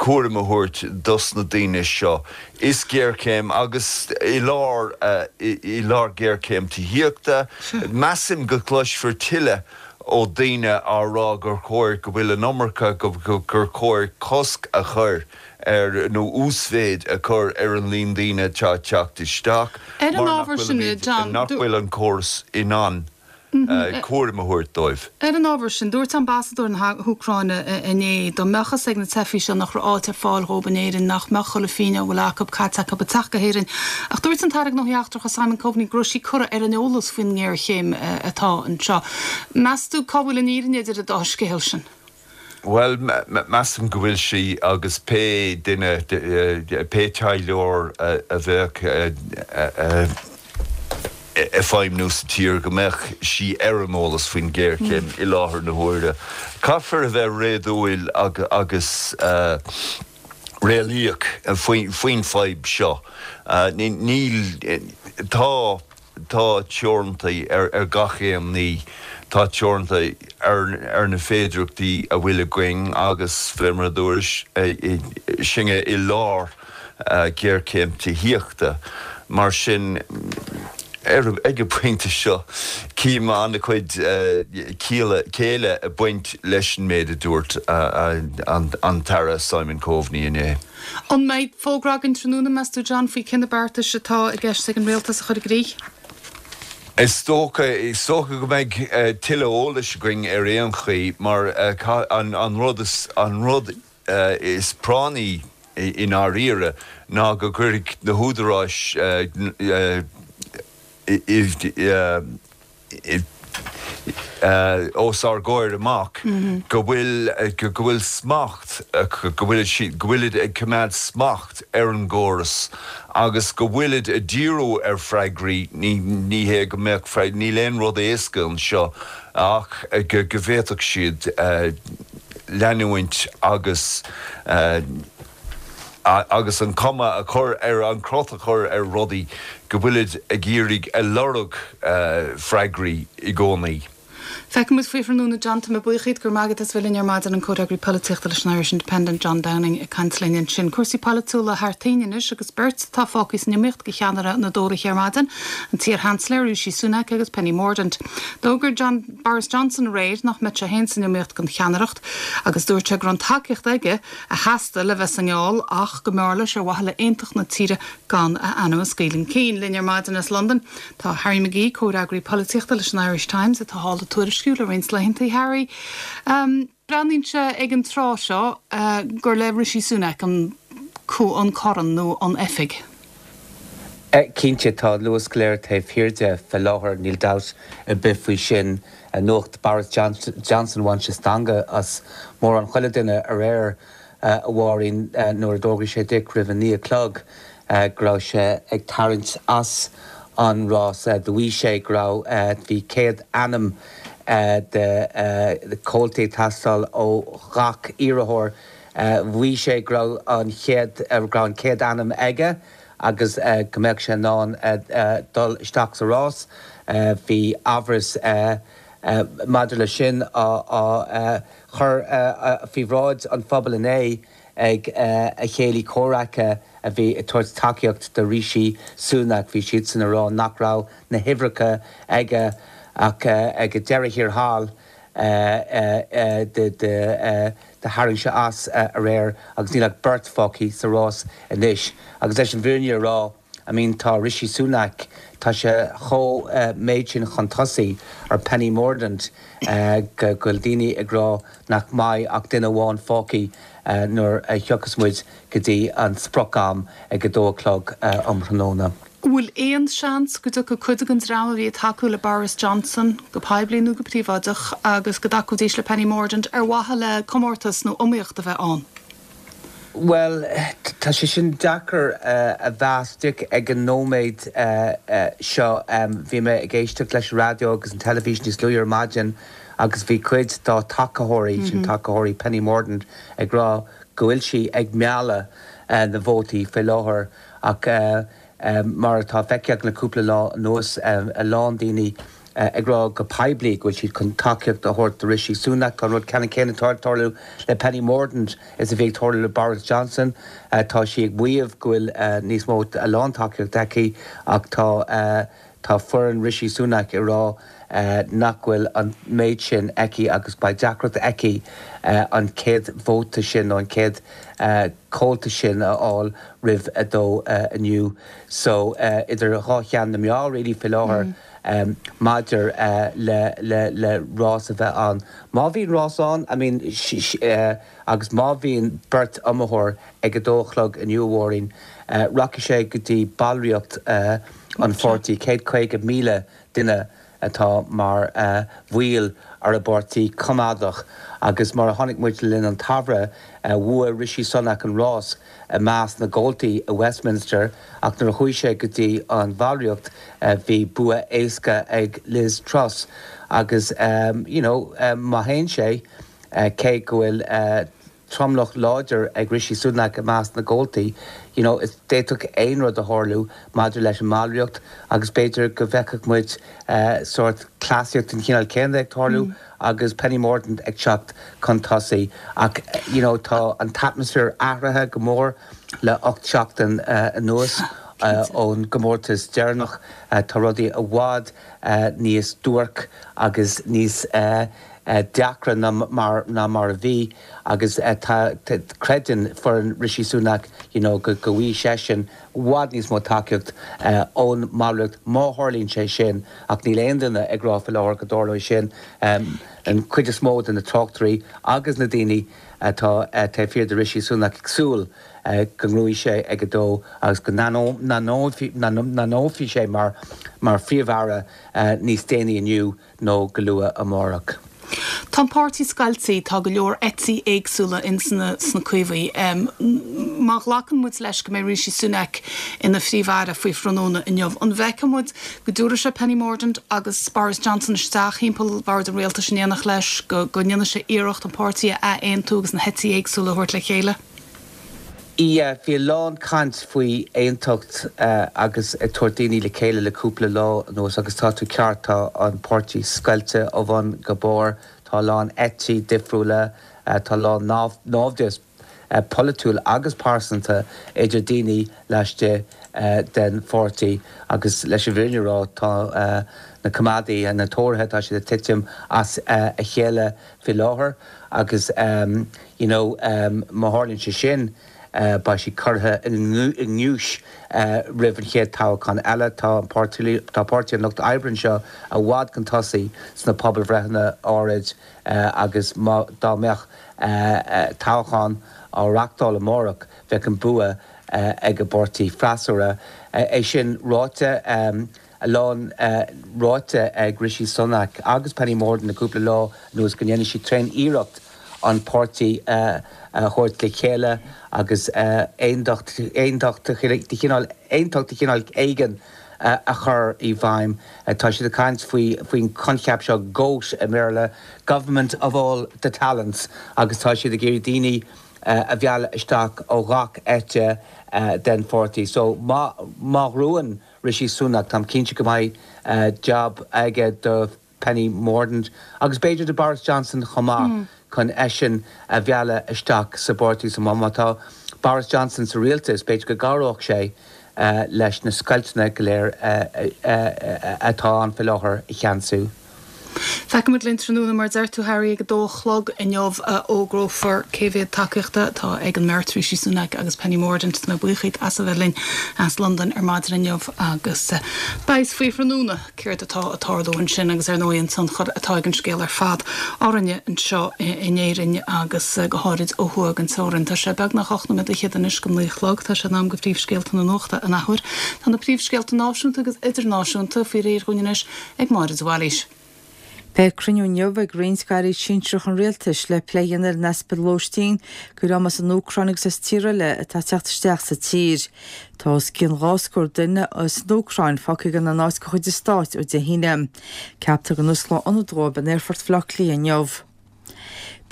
cúram a thabhairt dos na daoine seo. Is géarchéim agus i lár i lár géarchéim tithíochta, measaim go gcloisfear tuilleadh ó daoine á rá gur chóir go bhfuil an iomarca, gur chóir cosc a chur ar nó uasmhéid a chur ar an líon daoine atá ag teacht isteach Ar an mar nach ábhar sin, bhfuilimid, John, nach bhfuil an córas in ann cúram a thabhairt dóibh. Ar an ábhar sin, dúirt ambasadóir na hÚcráine inné, dá mbeadh fhios ag na teifigh seo nach raibh áit ar fáil dhóibh in Éirinn, nach mbeadh chuile phingin dá bhfuil acu caite acu ag teacht go hÉirinn. Ach dúirt an tAire Gnóthaí Eachtracha Simon Coveney go raibh sí curtha ar an eolas faoin ngéarchéim atá anseo. Meas tú cá bhfuil an fhírinne idir an dá scéal sin? Bhuel, measaim go bhfuil sí agus pé duine, pé taidhleoir a bheadh ag feidhmniú sa tír, go mbeadh sí ar an eolas faoin ghéarchéim i láthair na huaire. Caithfear a bheith réadúil agus réalaíoch faoin fadhb seo. Níl, tá. Tá teorantaí ar gach aon ní. Tá teoranta ar na féidireachtaí a bhfuil againn agus, fé mar a dúrais, sinne i lár géarchéim tithíochta. Mar sin, ag an bpointe seo, cím an-chuid céille ag baint leis an méid a dúirt an tAire Simon Coveney inné. An mbeidh fógra againn tráthnóna, meas tú, John, faoi cé na beartais atá i gceist ag an Rialtas a chur i gcrích? Is dócha, is dócha go mbeidh tuilleadh eolais againn ar aon chaoi mar an rud is, an rud is práinní i ndáiríre ná go gcuirfidh na húdaráis i. os ár gcomhair amach go bhfuil, go bhfuil smacht, go bhfuil siad, go bhfuilid ag coimeád smacht ar an gcóras agus go bhfuilid ag díriú ar freagraí, ní, ní hé go mbeadh, níl aon rud éasca anseo ach go, go bhféadfadh siad leanúint agus. agus an cuma a chur ar, an crot a chur ar rudaí go bhfuilid ag iarraidh, ag lorg freagraí i gcónaí. Feicfidh muid faoi thráthnóna John, tá mé buíoch díot, go raibh maith agat as bheith linn ar maidin, an comhfhreagraí polaitíochta leis an Irish Independent, John Downing ag caint linn ansin. Cúrsaí polaitiúla thar toinn anois agus beirt atá fágtha san iomaíocht do cheannaire na dTóraithe ar maidin, an t-iar-Sheansailéir Rishi Sunak agus Penny Mordaunt. D'fhógair John Boris Johnson aréir nach mbeadh sé féin san iomaíocht don cheannaireacht agus dúirt sé go raibh an tacaíocht aige a theastaigh le bheith sa ngeall ach go mb'fhearr leis ar mhaithe le aontacht na tíre gan a ainm a scaoileadh chun cinn. Linn ar maidin as Londain tá Harry McGee, comhfhreagraí polaitíochta leis an Irish Times atá thall ag tuairisciú le roinnt laethanta. Harry, breathnaíonn sé ag an tráth seo gur le Rishi Sunak an an corn nó an oifig. Cinnte, tá an luas go léir taobh thiar de fé láthair, níl dabht ar bith faoi sin. Nuacht Boris Johnson, bhain sé stangadh as mórán chuile duine aréir, a Mháirín, nuair a d'fhógraigh sé díreach roimh a naoi a chlog go raibh sé ag tarraingt as an rás. Do mhaígh sé go raibh, bhí 100 ainm de chomhaltaí ag teastáil ó ghach iarrthóir. Mhaígh sé go raibh an chéad, go raibh an chéad ainm aige agus go mbeadh sé in ann dul isteach sa rás. Bhí amhras maidir leis sin á chur faoi bhráid an phobail inné ag a chéilí comhraice a bhí ag tabhairt tacaíocht do Rishi Sunak. Bhí siadsan ag rá nach raibh na huimhreacha aige ach ag deireadh thiar thall do tharraing sé as aréir agus níl ach beirt fágtha sa rás anois. Agus leis an bhfírinne a rá, I mean tá Rishi Sunak, tá sé chomh méid sin chun tosaigh ar Penny Mordaunt go bhfuil daoine ag rá nach mbeidh ach duine amháin fágtha nuair a thiocfas muid go dtí an sprioc-am ag a dó a chlog um thráthnóna. An bhfuil aon seans go dtiocfaidh cuid den dream a bhí ag tacú le Boris Johnson, go poiblí nó go príobháideach, agus go dtacóidís le Penny Mordaunt ar mhaithe le comórtas nó iomaíocht a bheith ann? Bhuel, tá sé sin deacair a mheas, Dick, ag an nóiméad seo. Bhí mé ag éisteacht leis an raidió agus an teilifís níos luaithe ar maidin agus bhí cuid dá tacaitheoirí, sin tacaitheoirí Penny Mordaunt, ag rá go bhfuil sí ag mealladh na vótaí faoi láthair. Ach mar atá feicthe againn le cúpla lá anuas, a lán daoine ag rá go poiblí go bhfuil siad chun tacaíocht a thabhairt do Rishi Sunak. Tá an rud ceannann céanna ag tarlú le Penny Mordaunt is a bhí ag tarlú le Boris Johnson. Tá sí ag maíomh go bhfuil níos mó, a lán tacaíocht aici ach tá Tá foireann Rishi Sunak ag rá nach bhfuil an méid sin aici agus beidh deacracht aici an chéad vóta sin nó an chéad chomhalta sin a fháil roimh a dó inniu. So idir dhá cheann na meá really faoi láthair maidir le le rás a bheith ann. Má bhíonn rás ann, I mean agus má bhíonn beirt iomaitheoir ag a dó a chlog inniu a Mháirín, rachaidh sé go dtí ballraíocht an pháirtí, 150,000 duine atá mar bhaill ar an bpáirtí coimeádach agus mar a chonaic muid le linn an tsamhraidh, bhuaigh Rishi Sunak an rás i measc na gcomhaltaí i Westminster ach nuair a chuaigh sé go dtí an bhallraíocht bhí bua éasca ag Liz Truss agus you know má théann sé, cé go bhfuil tromlach láidir ag Rishi Sunak i measc na gcomhaltaí, you know, is d'fhéadfadh aon rud a tharlú maidir leis an mballraíocht agus b'fhéidir go bhfeicfeadh muid sórt cleasaíocht den chineál céanna ag tarlú agus Penny Mordaunt ag teacht chun tosaigh. Ach, you know, tá an t-atmaisféar athraithe go mór le 8 seachtain anuas ón gcomórtas deireanach. Tá rudaí i bhfad níos duairce agus níos. deacra ná mar ná mar a bhí agus tá creideann foireann Rishi Sunak you know go go bhfaighidh seisean i bhfad níos mó tacaíocht ón mballraíocht má tharlaíonn sé sin ach níl aon duine ag rá faoi láthair go dtarlóidh sin. An chuid is mó de na tráchtairí agus na daoine atá taobh thiar de Rishi Sunak ag súil go ngnóthóidh sé ag a dó agus go n-ainmneofaí sé mar Phríomh-Aire níos déanaí inniu nó go luath amárach. Tá an páirtí scoilte, tá go leor eití éagsúla ins na sna Caomhaigh. Má ghlacann muid leis go mbeidh Rishi Sunak ina Phríomh-Aire faoi thráthnóna inniu, an bhfeicfidh muid go dtabharfaidh sé Penny Mordaunt agus Boris Johnson isteach thimpeall bhord an rialtais in éineacht leis, go go ndéanfaidh sé iarracht an páirtí a ath-aontú agus na heití éagsúla a thabhairt le chéile? Yeah, bhí a lán caint faoi aontacht agus ag tabhairt daoine le chéile le cúpla lá anuas agus tá tú ceart, tá an páirtí scoilte ó bhun go barr, tá a lán eití difriúla, tá a lán naimhdeas polaitiúil agus pearsanta idir daoine laistigh den pháirtí agus leis an bhfírinne a rá tá na coimeádaithe, na Tóraithe, tá siad ag titim as a chéile faoi láthair agus you know má tharlaíonn sé sin beidh siad curtha i ngiúis roimh an chéad toghchán eile. Tá an páirtí, tá Páirtí an Lucht Oibre anseo i bhfad chun tosaigh sna pobalbhreitheanna áirid agus má, dá mbeadh toghchán á reachtáil amárach bheadh an bua ag an bpáirtí freasúra. É sin ráite, a lán ráite ag Rishi Sunak agus Penny Mordaunt le cúpla lá anuas go ndéanfaidh siad tréan-iarracht an páirtí a thabhairt le chéile agus aontacht de chineál aontacht de chineál éigin a chur i bhfeidhm. Tá siad ag caint faoi faoin choincheap seo GOAT i mBéarla, Government of All the Talents, agus tá siad ag iarraidh daoine a mhealladh isteach ó ghach eite den pháirtí. So má má ghnóthaíonn Rishi Sunak, táim cinnte go mbeidh jab aige do Penny Mordaunt agus b'fhéidir do Boris Johnson chomh maith chun eisean a mhealladh isteach sa bpáirtí. So má tá Boris Johnson sa rialtas, b'fhéidir go gcabhródh sé leis na scoilteanna go léir atá ann faoi láthair a cheansú. Feicfimid linn tráthnóna, mar a deir tú Harry, ag a dó a chlog inniu a fhógrófar cé mhéad tacaíochta atá ag an mbeirt, Rishi Sunak agus Penny Mordaunt. Tá mé buíoch díot as a bheith linn as Londain ar maidin inniu agus beidh a fhios faoi thráthnóna céard atá ag tarlú ansin agus ar ndóigh an tionchar atá ag an scéal ar fad orainne anseo in Éirinn agus go háirid ó thuaidh den teorainn. Tá sé beagnach 8 nóiméad fhichead anois go naoi a chlog. Tá sé in am do phríomhscéalta na nuachta an athuair. Tá na príomhscéalta náisiúnta agus idirnáisiúnta faoi réir dhúinn anois ag Máire de Bhailís. Beidh cruinniú inniu ag roinnt d'airí sinsearacha an rialtais le plé a dhéanamh ar an easpa lóistín do dhream as an Úcráin agus as tíortha eile atá ag teacht isteach sa tír. Tá os cionn 2 scór duine as an Úcráin fágtha gan aon áit de chuid an stáit ó Dé hAoine. Ceaptar go n-osclóidh ionad dóibh in Aerfort Bhaile Átha Cliath inniu.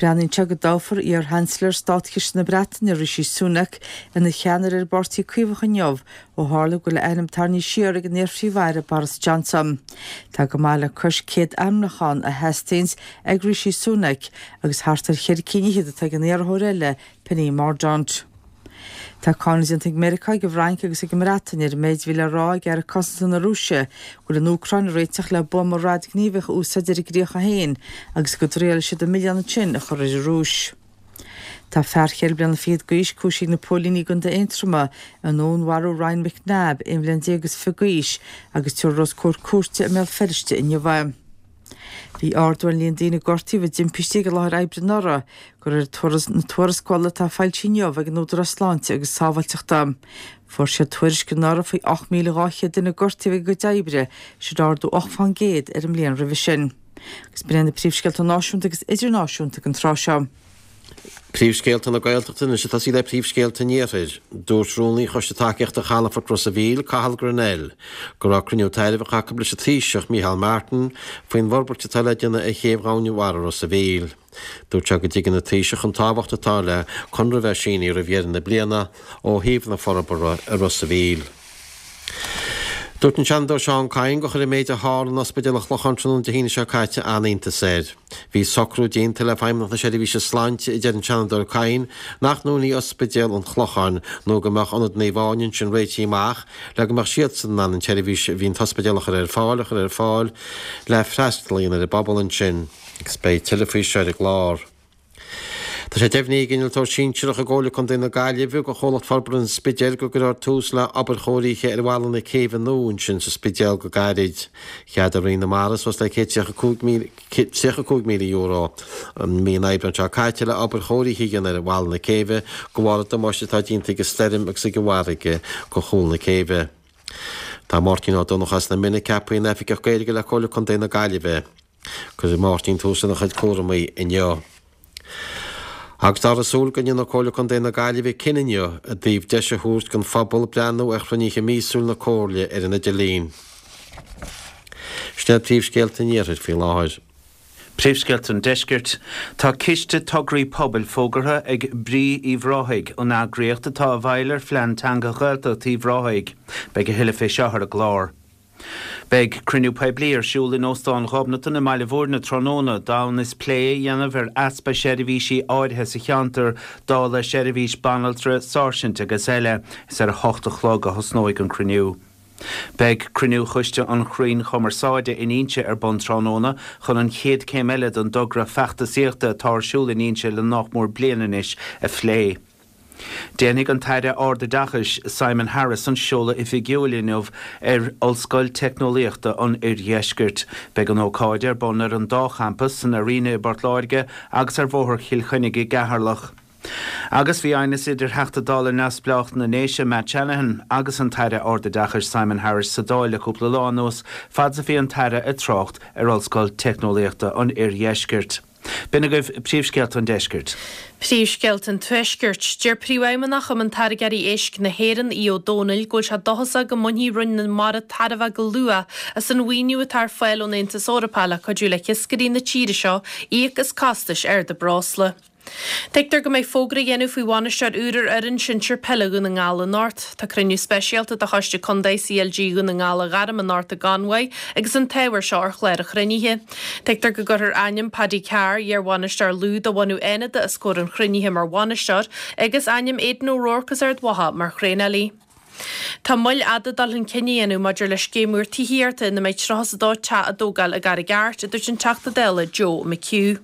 Breathnaíonn sé go dtoghfar iar-Sheansailéir Státchiste na Breataine, Rishi Sunak, ina cheannaire ar an bPáirtí Caomhach inniu, ó tharla go bhfuil a ainm tarraingthe siar ag an iar-Phríomh-Aire Boris Johnson. Tá go maith le cois 100 ainmniúchán a theastaíonns ag Rishi Sunak agus thart ar cheithre cinn fhichead atá ag an iarrthóir eile, Penny Mordaunt. Tá cáineadh déanta ag Meiriceá, ag an bhFrainc agus ag an mBreatain ar an méid a bhí le rá ag Aire Cosanta na Rúise go bhfuil an Úcráin ag réiteach le buama radaighníomhach a úsáid ar a gcríocha féin agus go dtriailfidh siad an milleán ansin a chur ar an Rúis. Tá fear cheithre bliana fichead d'aois cúisithe ag na póilíní i gContae Aontroma i ndúnmharú Ryan McNabb, 21 bhliain is fiche d'aois, agus tabharfar os comhair cúirte i mBéal Feirste inniu é. Bhí ardú ar an líon daoine a gortaíodh i dtimpistí ag an láthair oibre anuraidh, de réir na tuarascála atá foilsithe inniu ag an Údarás Sláinte agus Sábháilteachta. Fuair siad tuairisc anuraidh faoi 8,200 duine a gortaíodh ag a gcuid oibre, sin ardú 8 fán gcéad ar an mbliain roimhe sin. Agus b'in iad na príomhscéalta náisiúnta agus idirnáisiúnta don tráth seo. Príomhscéalta na Gaeltachta anois ag tosaí le príomhscéalta an Iarthair. Dúirt Rúnaí Choiste Tacaíochta Chalafort Ros a' Mhíl, Cathal Grennell, go raibh cruinniú tairbheach acu leis an Taoiseach, Micheál Martin, faoin bhforbairt atá le déanamh ar chéibh Dhomhainmhara Ros a' Mhíl. Dúirt sé go dtuigeann an Taoiseach an tábhacht atá le conradh a bheith sínithe roimh dheireadh na bliana ó thaobh na forbartha i Ros a' Mhíl. Dúirt an Seanadóir Seán Kyne gur chuir an méid a tharla in Ospidéal an Chlocháin tráthnóna Dé hAoine seo caite an-iontas air. Bhí socrú déanta le Feidhmeannacht na Seirbhíse Sláinte, a deir an Seanadóir Kyne, nach ndúnfaí Ospidéal an Chlocháin nó go mbeadh Ionad Naomh Áine ansin réitithe amach le go mbeadh siadsan in ann an tseirbhís a bhí an t-ospidéal a chur ar fáil a chur ar fáil le freastal a dhéanamh ar an bpobal ansin. Agus beidh tuilleadh faoi seo ar an gclár. Tá sé deimhnithe ag Innealtóir Sinsearach i gComhairle Contae na Gaillimhe do Chomhlacht Forbartha an Spidéil go gcuirfear tús le obair chóirithe ar bhalla na céibhe nua ansin sa Spidéal go gairid. Cheadaigh Roinn na Mara suas le €135,000 i mí an Aibreáin seo caite le obair chóirithe a dhéanamh ar bhalla na céibhe de bharr an damáiste atá déanta ag an stoirm agus ag an bhfarraige do chúl na céibhe. Tá Máirtín Ó Donnchadha as na Minna ceaptha ina Oifigeach Gaeilge le Comhairle Contae na Gaillimhe. Cuirfidh Máirtín tús lena chuid cúramaí inniu. Agus táthar ag súil go ndéanfaidh Comhairle Contae na Gaillimhe cinneadh inniu i dtaobh deis a thabhairt don phobal breathnú ar chruinnithe míosúil na Comhairle ar an idirlíon. Sin iad príomhscéalta an Iarthair faoi láthair. Príomhscéalta an Deiscirt. Tá ciste tograí pobail fógartha ag Brí Uíbh Ráthaigh, an eagraíocht atá i bhfeighil ar phlean teanga Ghaeltacht Uíbh Ráthaigh. Beidh a thuilleadh fé seo ar an gclár. Beidh cruinniú poiblí ar siúl in Óstán Ghobnatan i mBaile Bhúirne tráthnóna d'fhonn is plé a dhéanamh ar easpa seirbhísí áirithe sa cheantar, dála seirbhís banaltra, sáirsint agus eile. Is ar a hocht a chlog a thosnóidh an cruinniú. Beidh cruinniú Choiste an Chrainn Chumarsáide in Inse ar bun tráthnóna chun an chéad céim eile den dtogra feachtasaíochta atá ar siúl in Inse le nách mór bliain anois a phlé. Déanfaidh an tAire Ardoideachais Simon Harris an seoladh oifigiúil inniu ar Ollscoil Teicneolaíochta an Oirdheiscirt. Beidh an ócáid ar bun ar an dá champas, san Arena i bPort Láirge agus ar Bhóthar Chill Chainnigh i gCeatharlach. Agus bhí aighneas idir Theachta Dála neamhspleách na nDéise Matt Shanahan agus an tAire Ardoideachais Simon Harris sa Dáil le cúpla lá anuas fad is a bhí an tAire ag trácht ar Ollscoil Teicneolaíochta an Oirdheiscirt. B'in agaibh príomhscéalta an deiscirt. Príomhscéalta an Tuaiscirt. Deir Príomhfheidhmeannach Chumann Táirgeoirí Éisc na hÉireann, Aodh Ó Domhnaill, go bhfuil sé dóchasach go mbainfidh Roinn na Mara tairbhe go luath as an mhaoiniú atá ar fáil ón Aontas Eorpach le cuidiú le hiascairí na tíre seo íoc as costais arda breosla. Tuigtear go mbeidh fógra á dhéanamh faoi bhainisteoir úr ar fhoireann sinsir peile Dhún na nGall anocht. Tá cruinniú speisialta de Choiste Contae CLG Dhún na nGall á ghairm anocht i gConmhaigh agus an t-ábhar seo ar chlár an chruinnithe. Tuigtear go gcuirfear ainm Paddy Carr, iar-bhainisteoir Lú de bhunadh Fhánada os comhair an chruinnithe mar bhainisteoir agus ainm Aidan O'Rourke as Ard Mhacha mar thraenálaí. Tá moill fhada dul chun cinn a dhéanamh maidir le scéim úr tithíochta ina mbeidh 32 teach á dtógáil i gCarraig Airt, a dúirt an Teachta Dála Joe McHugh.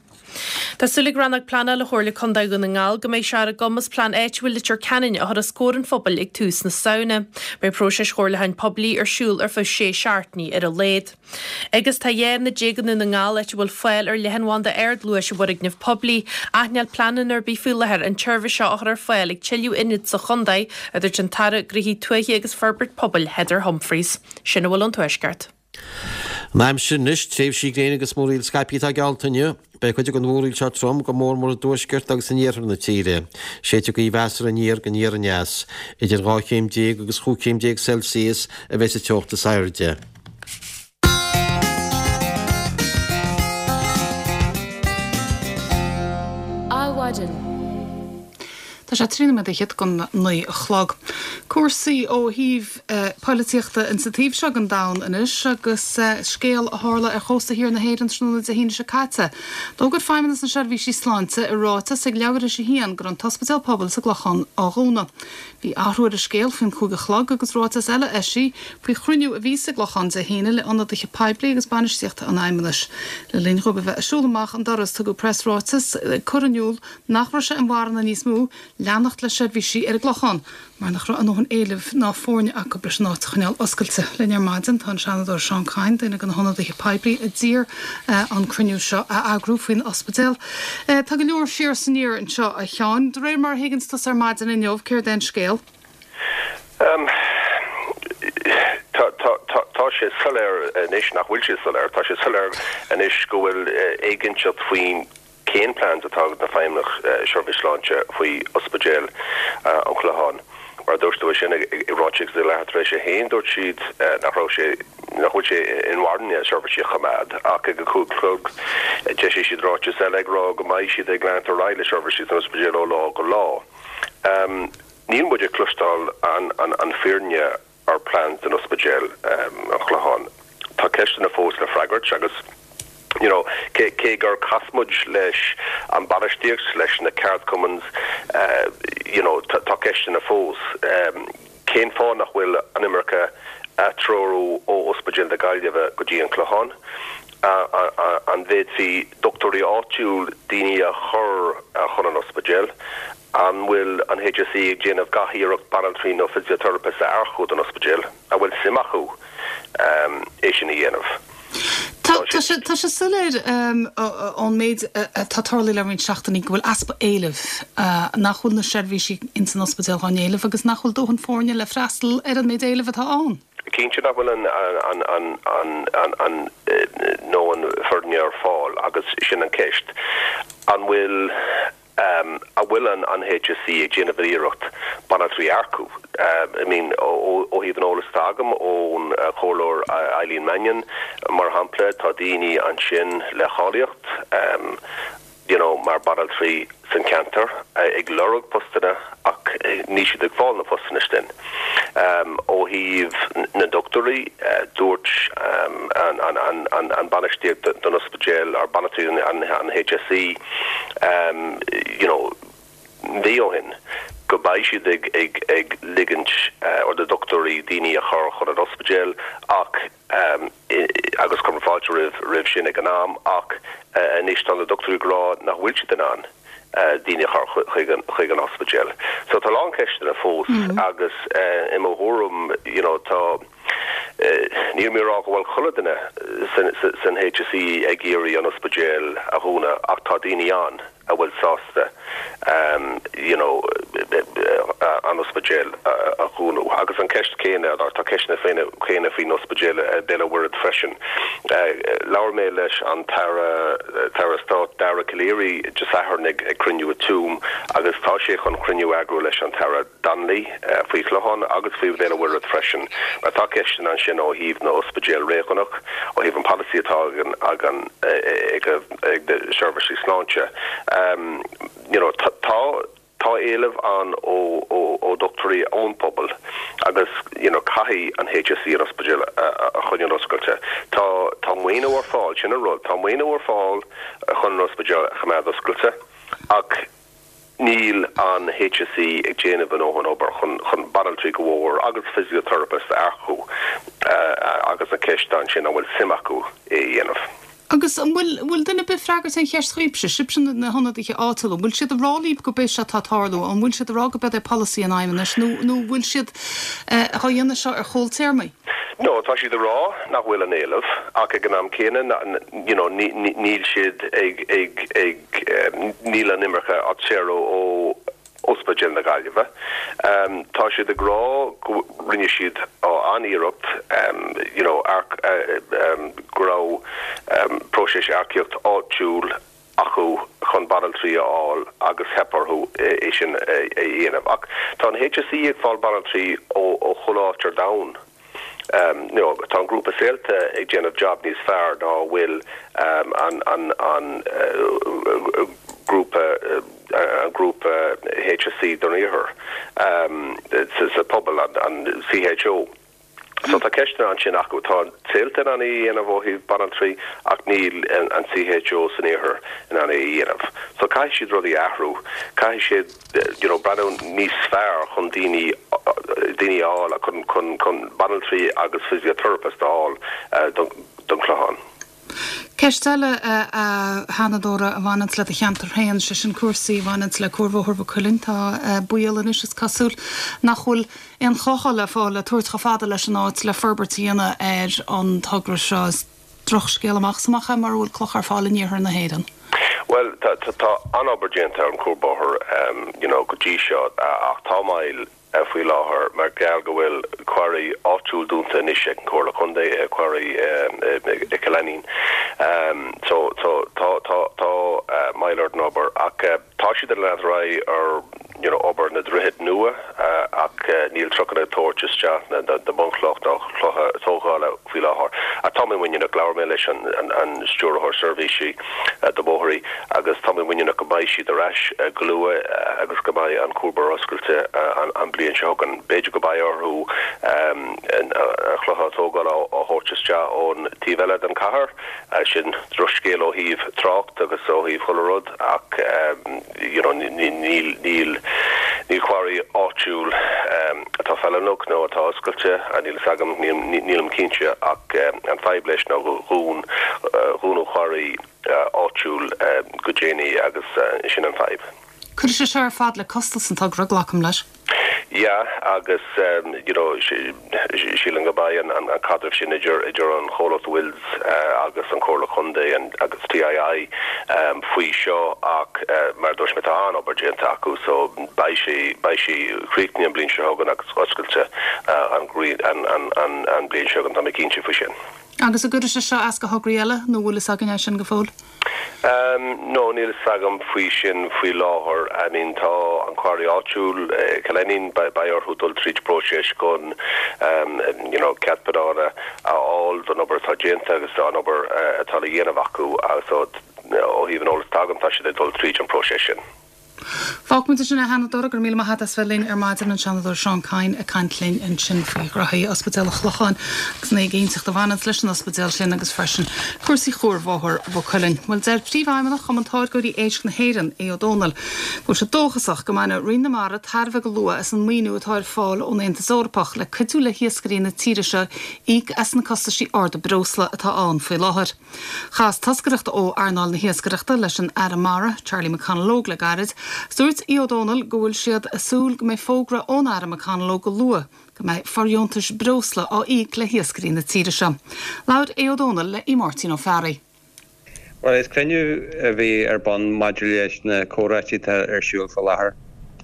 Tá súil ag Rannóg Pleanála Chomhairle Contae Dhún na nGall go mbeidh sé ar a gcumas plean áitiúil Leitir Ceanainn a chur os comhair an phobail ag tús na Samhna. Beidh próiseas chomhairliúcháin poiblí ar siúl ar feadh sé seachtainí ar a laghad. Agus tá 12 ionad i nDún na nGall áit a bhfuil fáil ar leathanbhanda ardluais i bhfoirgnimh poiblí, ach níl pleananna ar bith faoi láthair an tseirbhís seo a chur ar fáil ag tuilleadh ionad sa chontae, a dúirt an tAire Gnóthaí Tuaithe agus Forbairt Pobail Heather Humphreys. Sin a bhfuil ón Tuaisceart. An aimsir anois, tréimhsí gréine agus múraíl scaipthe atá geallta inniu. Beidh cuid den mhúraíl seo trom, go mór mór i dtuaisceart agus in iarthar na tíre. Séidfidh gaoth mheasartha aniar go aniar aneas. Idir 12 chéim agus 15 chéim Celsius a bheidh sa teocht is airde. Adhmhaidin. Tá sé 13 nóiméad don 9 a chlog. Cúrsaí ó thaobh polaitíochta insa taobh seo den domhan anois agus scéal a tharla ar chósta thiar na hÉireann tráthnóna Dé hAoine seo caite. D'fhógair Feidhmeannas na Seirbhísí Sláinte i ráiteas ag leathuair théis a haon go raibh an t-ospidéal pobail sa gClochán á dhúnadh. Bhí athrú ar an scéal faoin chúig a chlog agus ráiteas eile eisithe faoi chruinniú a bhí sa gClochán Dé hAoine le ionadaithe poiblí agus bainistíochta an Fheidhmeannais. Le linn dhóibh a bheith ag siúl amach an doras tugadh preasráiteas ag cur in iúl nach raibh sé inmharthana níos mó leanacht le seirbhísí ar an gClochán mar nach raibh a ndóthain éilimh ná foirne acu leis an áit a choinneáil oscailte. Linn ar maidin tá an Seanadóir Seán Kyne, duine de na hionadaithe poiblí a d'iarr an cruinniú seo a eagrú faoin ospidéal. Tá go leor siar is aniar anseo, a Sheáin. De réir mar a thuigeanns tusa ar maidin inniu, céard é an scéal? Tá sé soiléir anois nach bhfuil sé soiléir. Tá sé soiléir anois go bhfuil éiginnteacht faoin cén plans atá ag na Feidhmeannach Seirbhís Sláinte faoi Ospidéal an Chlocháin. Mar a dúirt tú é sin i ráiteas ag leathuair tar éis a haon, dúirt siad nach raibh sé, nach bhfuil sé inmharthana seirbhísí a choimeád ach ag a 5 a chlog d'eisigh siad ráiteas eile ag rá go mbeidh siad ag leanacht ar aghaidh le seirbhísí san ospidéal ó lá go lá. Níl muid ag cloisteáil an fírinne ar plans don ospidéal an Chlocháin. Tá ceisteanna fós le freagairt agus you know cé cé gur chas muid leis an bainistíocht, leis na ceardchumainn you know tá ceisteanna fós. Cén fáth nach bhfuil an iomarca. atreorú ó Ospidéal na Gaillimhe go dtí an Clochán? An bhféadfaí dochtúirí áitiúil, daoine a chur chun an ospidéil? An bhfuil an HSE ag déanamh gach iarracht banaltraí nó physiotherapists a earcú don ospidéal? An bhfuil suim acu é sin a dhéanamh? Tá sé soiléir ón méid atá tarlaithe le roinnt seachtainí go bhfuil easpa éilimh, nach bhfuil na seirbhísí ins an ospidéal dhá n-éileamh agus nach bhfuil dóthain foirne le freastal ar an méid éilimh atá ann. Cinnte nach bhfuil an ndóthain foirne ar fáil agus sin an ceist. An bhfuil An bhfuil an HSE ag déanamh iarracht banaltraí a earcú? I mean, ó thaobh an eolas atá agam ón Chomhairleoir Eileen Mannion, mar shampla, tá daoine ansin le cháilíocht, you know, mar banaltraí san ceantar ag lorg postanna ach níl siad ag fáil na postanna sin. Ó thaobh na ndochtúirí, dúirt an bainistíocht don ospidéal, or bainisteoir an HSE, you know, mhí ó shin, go mbeidh siad ag ag ag ligint or do dhochtúirí daoine a chur chun an ospidéil ach agus chuir mé fáilte roimh roimh sin ag an am ach anois tá na dochtúirí ag rá nach bhfuil siad in ann daoine a chur chuig an chuig an ospidéal. So tá a lán ceisteanna fós agus i mo thuairim you know tá Níl mé ag rá go bhfuil chuile duine san HSE ag iarraidh an ospidéal a dhúnadh ach tá daoine ann a bhfuil sásta you know an ospidéal a dhúnadh. Agus an ceist céanna, or tá ceisteanna céanna faoin ospidéal i Béal an Mhuirthead freisin. Labhair mé leis an tAire, tAire Stáit Dara Calleary Dé Sathairn ag cruinniú i Tuaim agus tá sé chun cruinniú a eagrú leis an tAire Donnelly faoi Chlochán agus faoi Bhéal an Mhuirthead freisin, mar tá ceisteanna ansin ó thaobh na ospidéal réigiúnach, ó thaobh an polasaí atá ag an ag na seirbhísí sláinte. You know, tá tá éileamh ann ó ó dochtúirí ón pobal agus you know caithfidh an HSE an ospidéal a choinneáil oscailte. Tá tá maoiniú ar fáil, sin an rud, tá maoiniú ar fáil chun an ospidéal a choimeád oscailte ach Níl an HSE ag déanamh a ndóthain obair chun chun banaltraí go mhór agus physiotherapist a earcú agus an ceist ansin an bhfuil suim acu é a dhéanamh. Agus an bhfuil bhfuil duine ar bith ag freagairt aon cheist dhaoibhse, sibhse na hionadaithe áitiúla, an bhfuil siad ag rá libh go b'é seo atá ag tarlú, an bhfuil siad ag rá go b'eod é polasaí an Fheidhmeannais nó nó bhfuil siad á dhéanamh seo ar chúl téarmaí? No, tá siad ag rá nach bhfuil an éileamh ach ag an am céanna you know níl siad ag ag ag Níl an imirce á saoradh ó Ospidéal na Gaillimhe. Tá siad ag rá go rinne siad an-iarracht you know go raibh próiseas earcaíocht áitiúil acu chun banaltraí a fháil agus theip orthu é sin a dhéanamh. Ach tá an HSE ag fáil banaltraí ó chuile áit ar domhan. You know, tá an grúpa Saolta ag déanamh job níos fearr ná a bhfuil an an an grúpa an grúpa HSE don Iarthar sa pobal, an CHO. So tá ceisteanna ansin acu. Tá Saolta in ann é a dhéanamh ó thaobh banaltraí ach níl an CHO san Iarthar in ann é a dhéanamh. So caithfidh siad rudaí a athrú. Caithfidh siad you know breathnú níos fearr chun daoine daoine a fháil chun chun chun banaltraí agus physiotherapist a fháil don don Chlochán. Ceist eile a Sheanadóra a bhaineanns le do cheantar féin, sé sin cúrsaí a bhaineanns le Cuarbhóthar Mhaigh Cuilinn. Tá baol anois is cosúil nach bhfuil aon chlocha le fáil le tabhairt chomh fada leis an áit le forbairt a dhéanamh ar an togra seo. Is drochscéal amach is amach é mura bhfuil clocha ar fáil in iarthar na hÉireann. Bhuel, tá tá an-obair déanta ar an chuarbhóthar you know go dtí seo ach tá moill faoi láthair mar gheall go bhfuil quarry áitiúil dúnta anois ag an Chomhairle Contae, quarry i Cill Ainnín. So so tá tá tá moill ar an obair ach tá siad ag leanúint ar aghaidh ar you know obair na droichid nua ach níl trucanna ag tabhairt isteach na na bunchloch ná clocha tógála faoi láthair. Ach tá mé muiníneach, labhair mé leis an an Stiúrthóir Seirbhísí do Bhóithrí agus tá mé muiníneach go mbeidh siad ar ais go luath agus go mbeidh an cuarbhóthar oscailte an an bliain seo chugainn. B'fhéidir go mbeidh orthu an chlocha tógála a thabhairt isteach ón taobh eile den chathair, sin drochscéal ó thaobh trácht agus ó thaobh chuile rud ach you know níl níl. Níl quarry áitiúil atá feiliúnach nó atá oscailte, níl fhios agam, nílim cinnte, ach an fadhb leis ná gur dhún, dhúnadh quarry áitiúil go déanaí agus sin an fadhb. Cuirfidh sé seo ar fad le costas an togra, glacaim leis. Yeah agus you know sílim go mbeidh an caidreamh sin idir idir an chomhlacht Wills agus an Chomhairle Contae agus TII faoi seo ach mar a dúirt mé tá an-obair déanta acu so beidh sé beidh sé críochnaithe an bhliain seo chugainn agus oscailte an an an bhliain seo chugainn tá mé cinnte faoi sin. Agus an gcuirfidh sé seo as do thograí eile nó bhfuil fhios againn é sin go fóill? No, níl fhios agam faoi sin faoi láthair. I mean tá an quarry áitiúil, Cill Ainnín, beidh orthu dul tríd próiseas chun you know cead pleanála a fháil don obair atá déanta agus an obair atá le dhéanamh acu so ó thaobh an eolas atá agam tá siad ag dul tríd an próiseas sin. Fágfaimid ansin é a Sheanadóra, go raibh míle maith agat as bheith linn ar maidin, an Seanadóir Seán Kyne ag caint linn ansin faoi ghraithí Ospidéal an Chlocháin agus an éiginnteacht a bhaineanns leis an ospidéal sin agus freisin cúrsaí Chuarbhóthar Mhaigh Cuilinn. Bhuel, deir Príomhfheidhmeannach Chumann Táirgeoirí Éisc na hÉireann, Aodh Ó Dónaill, go bhfuil sé dóchasach go mbainfidh Roinn na Mara tairbhe go luath as an maoiniú atá ar fáil ón Aontas Eorpach le cuidiú le hiascairí na tíre seo íoc as na costaisí arda breosla atá ann faoi láthair. Chas toscaireacht ó earnáil na hiascaireachta leis an Aire Mara, Charlie McConalogue le gairid. Dúirt Aodh Ó Dónaill go bhfuil siad ag súil go mbeidh fógra ón Aire McConalogue go luath go mbeidh fordheontais breosla á íoc le hiascairí na tíre seo. Labhair Aodh Ó Dónaill le Máirtín Ó Fearraigh. Bhuel, is cruinniú a bhí ar bun maidir leis na comhráití atá ar siúl faoi láthair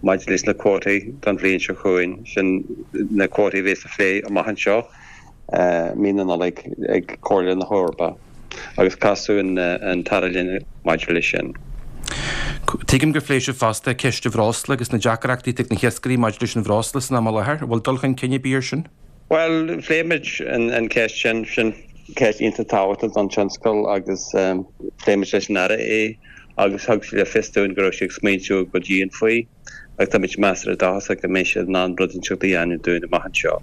maidir leis na cuótaí don bhliain seo chugainn, sin na cuótaí a bheas á phlé amach anseo. mí na Nollag ag Comhairle na hEorpa agus casadh an tAire linn maidir leis sin. Tuigim gur phléigh sibh fosta ceist an bhreosla agus na deacrachtaí atá ag na hiascairí maidir leis an bhreosla san am i láthair. An bhfuil dul chun cinn ar bith ar sin? Bhuel, phléigh muid an cheist sin. Sin ceist iontach tábhachtach don tionscal agus phléigh muid leis an Aire é agus thug sé le fios dúinn go raibh sé ag smaointiú go dian faoi. agus táimid measartha dóchasach go mbeidh siad in ann rud inteacht a dhéanamh dúinn amach anseo.